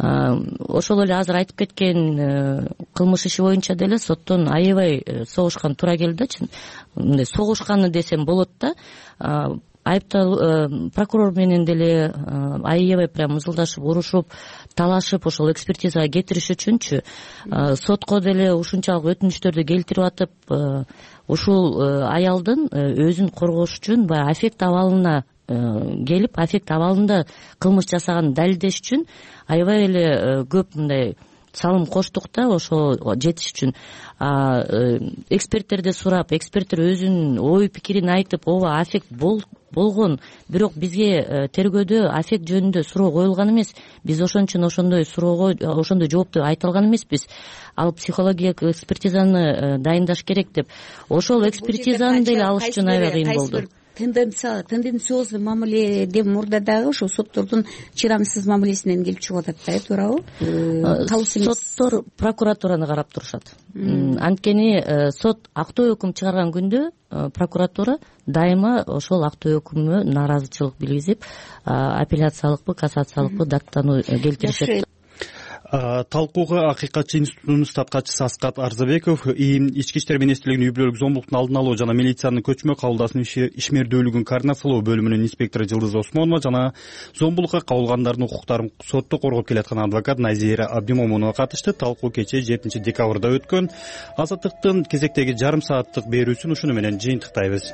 Ошол эле азыр айтып кеткен кылмыш иши боюнча деле соттон аябай согушкан туура келди да, чын мындай согушканы десем болот да. Айыптал прокурор менен деле аябай прям ызылдашып, урушуп, талашып ошол экспертизага кетириш үчүнчү сотко деле ушунчалык өтүнүчтөрдү келтирип атып, ушул аялдын өзүн коргош үчүн баягы аффект абалына келип, аффект абалында кылмыш жасаганын далилдеш үчүн аябай эле көп мындай салым коштук да ошол жетиш үчүн. Эксперттерди сурап, эксперттер өзүнүн ой пикирин айтып, ооба аффект болгон, бирок бизге тергөөдө аффект жөнүндө суроо коюлган эмес, биз ошон үчүн ошондой суроого ошондой жоопту айта алган эмеспиз, ал психологиялык экспертизаны дайындаш керек деп. Ошол экспертизаны деле алыш үчүн аябай кыйын болду. Тенденциозный мамиледе мурда дагы ошол соттордун чыдамсыз мамилесинен келип чыгып атат да, туурабы? Калыс эмес соттор прокуратураны карап турушат. Анткени сот актоо өкүм чыгарган күндө прокуратура дайыма ошол актоо өкүмүнө нааразычылык билгизип, апелляциялыкпы, кассациялыкпы даттануу келтиришет. Талкууга Акыйкатчы институтунун устаткачысы Аскат Арзабеков ИИМ Ички иштер министрлигинин үй бүлөлүк зомбулуктун алдын алуу жана милициянын көчмө кабылдасынын ишмердүүлүгүн координациялоо бөлүмүнүн инспектору Жылдыз Осмонова жана зомбулукка кабылгандардын укуктарын сотто коргоп келаткан адвокат Назира Абдимомунова катышты. Талкуу кечээ жетинчи декабрда өткөн. Азаттыктын кезектеги жарым сааттык берүүсүн ушуну менен жыйынтыктайбыз.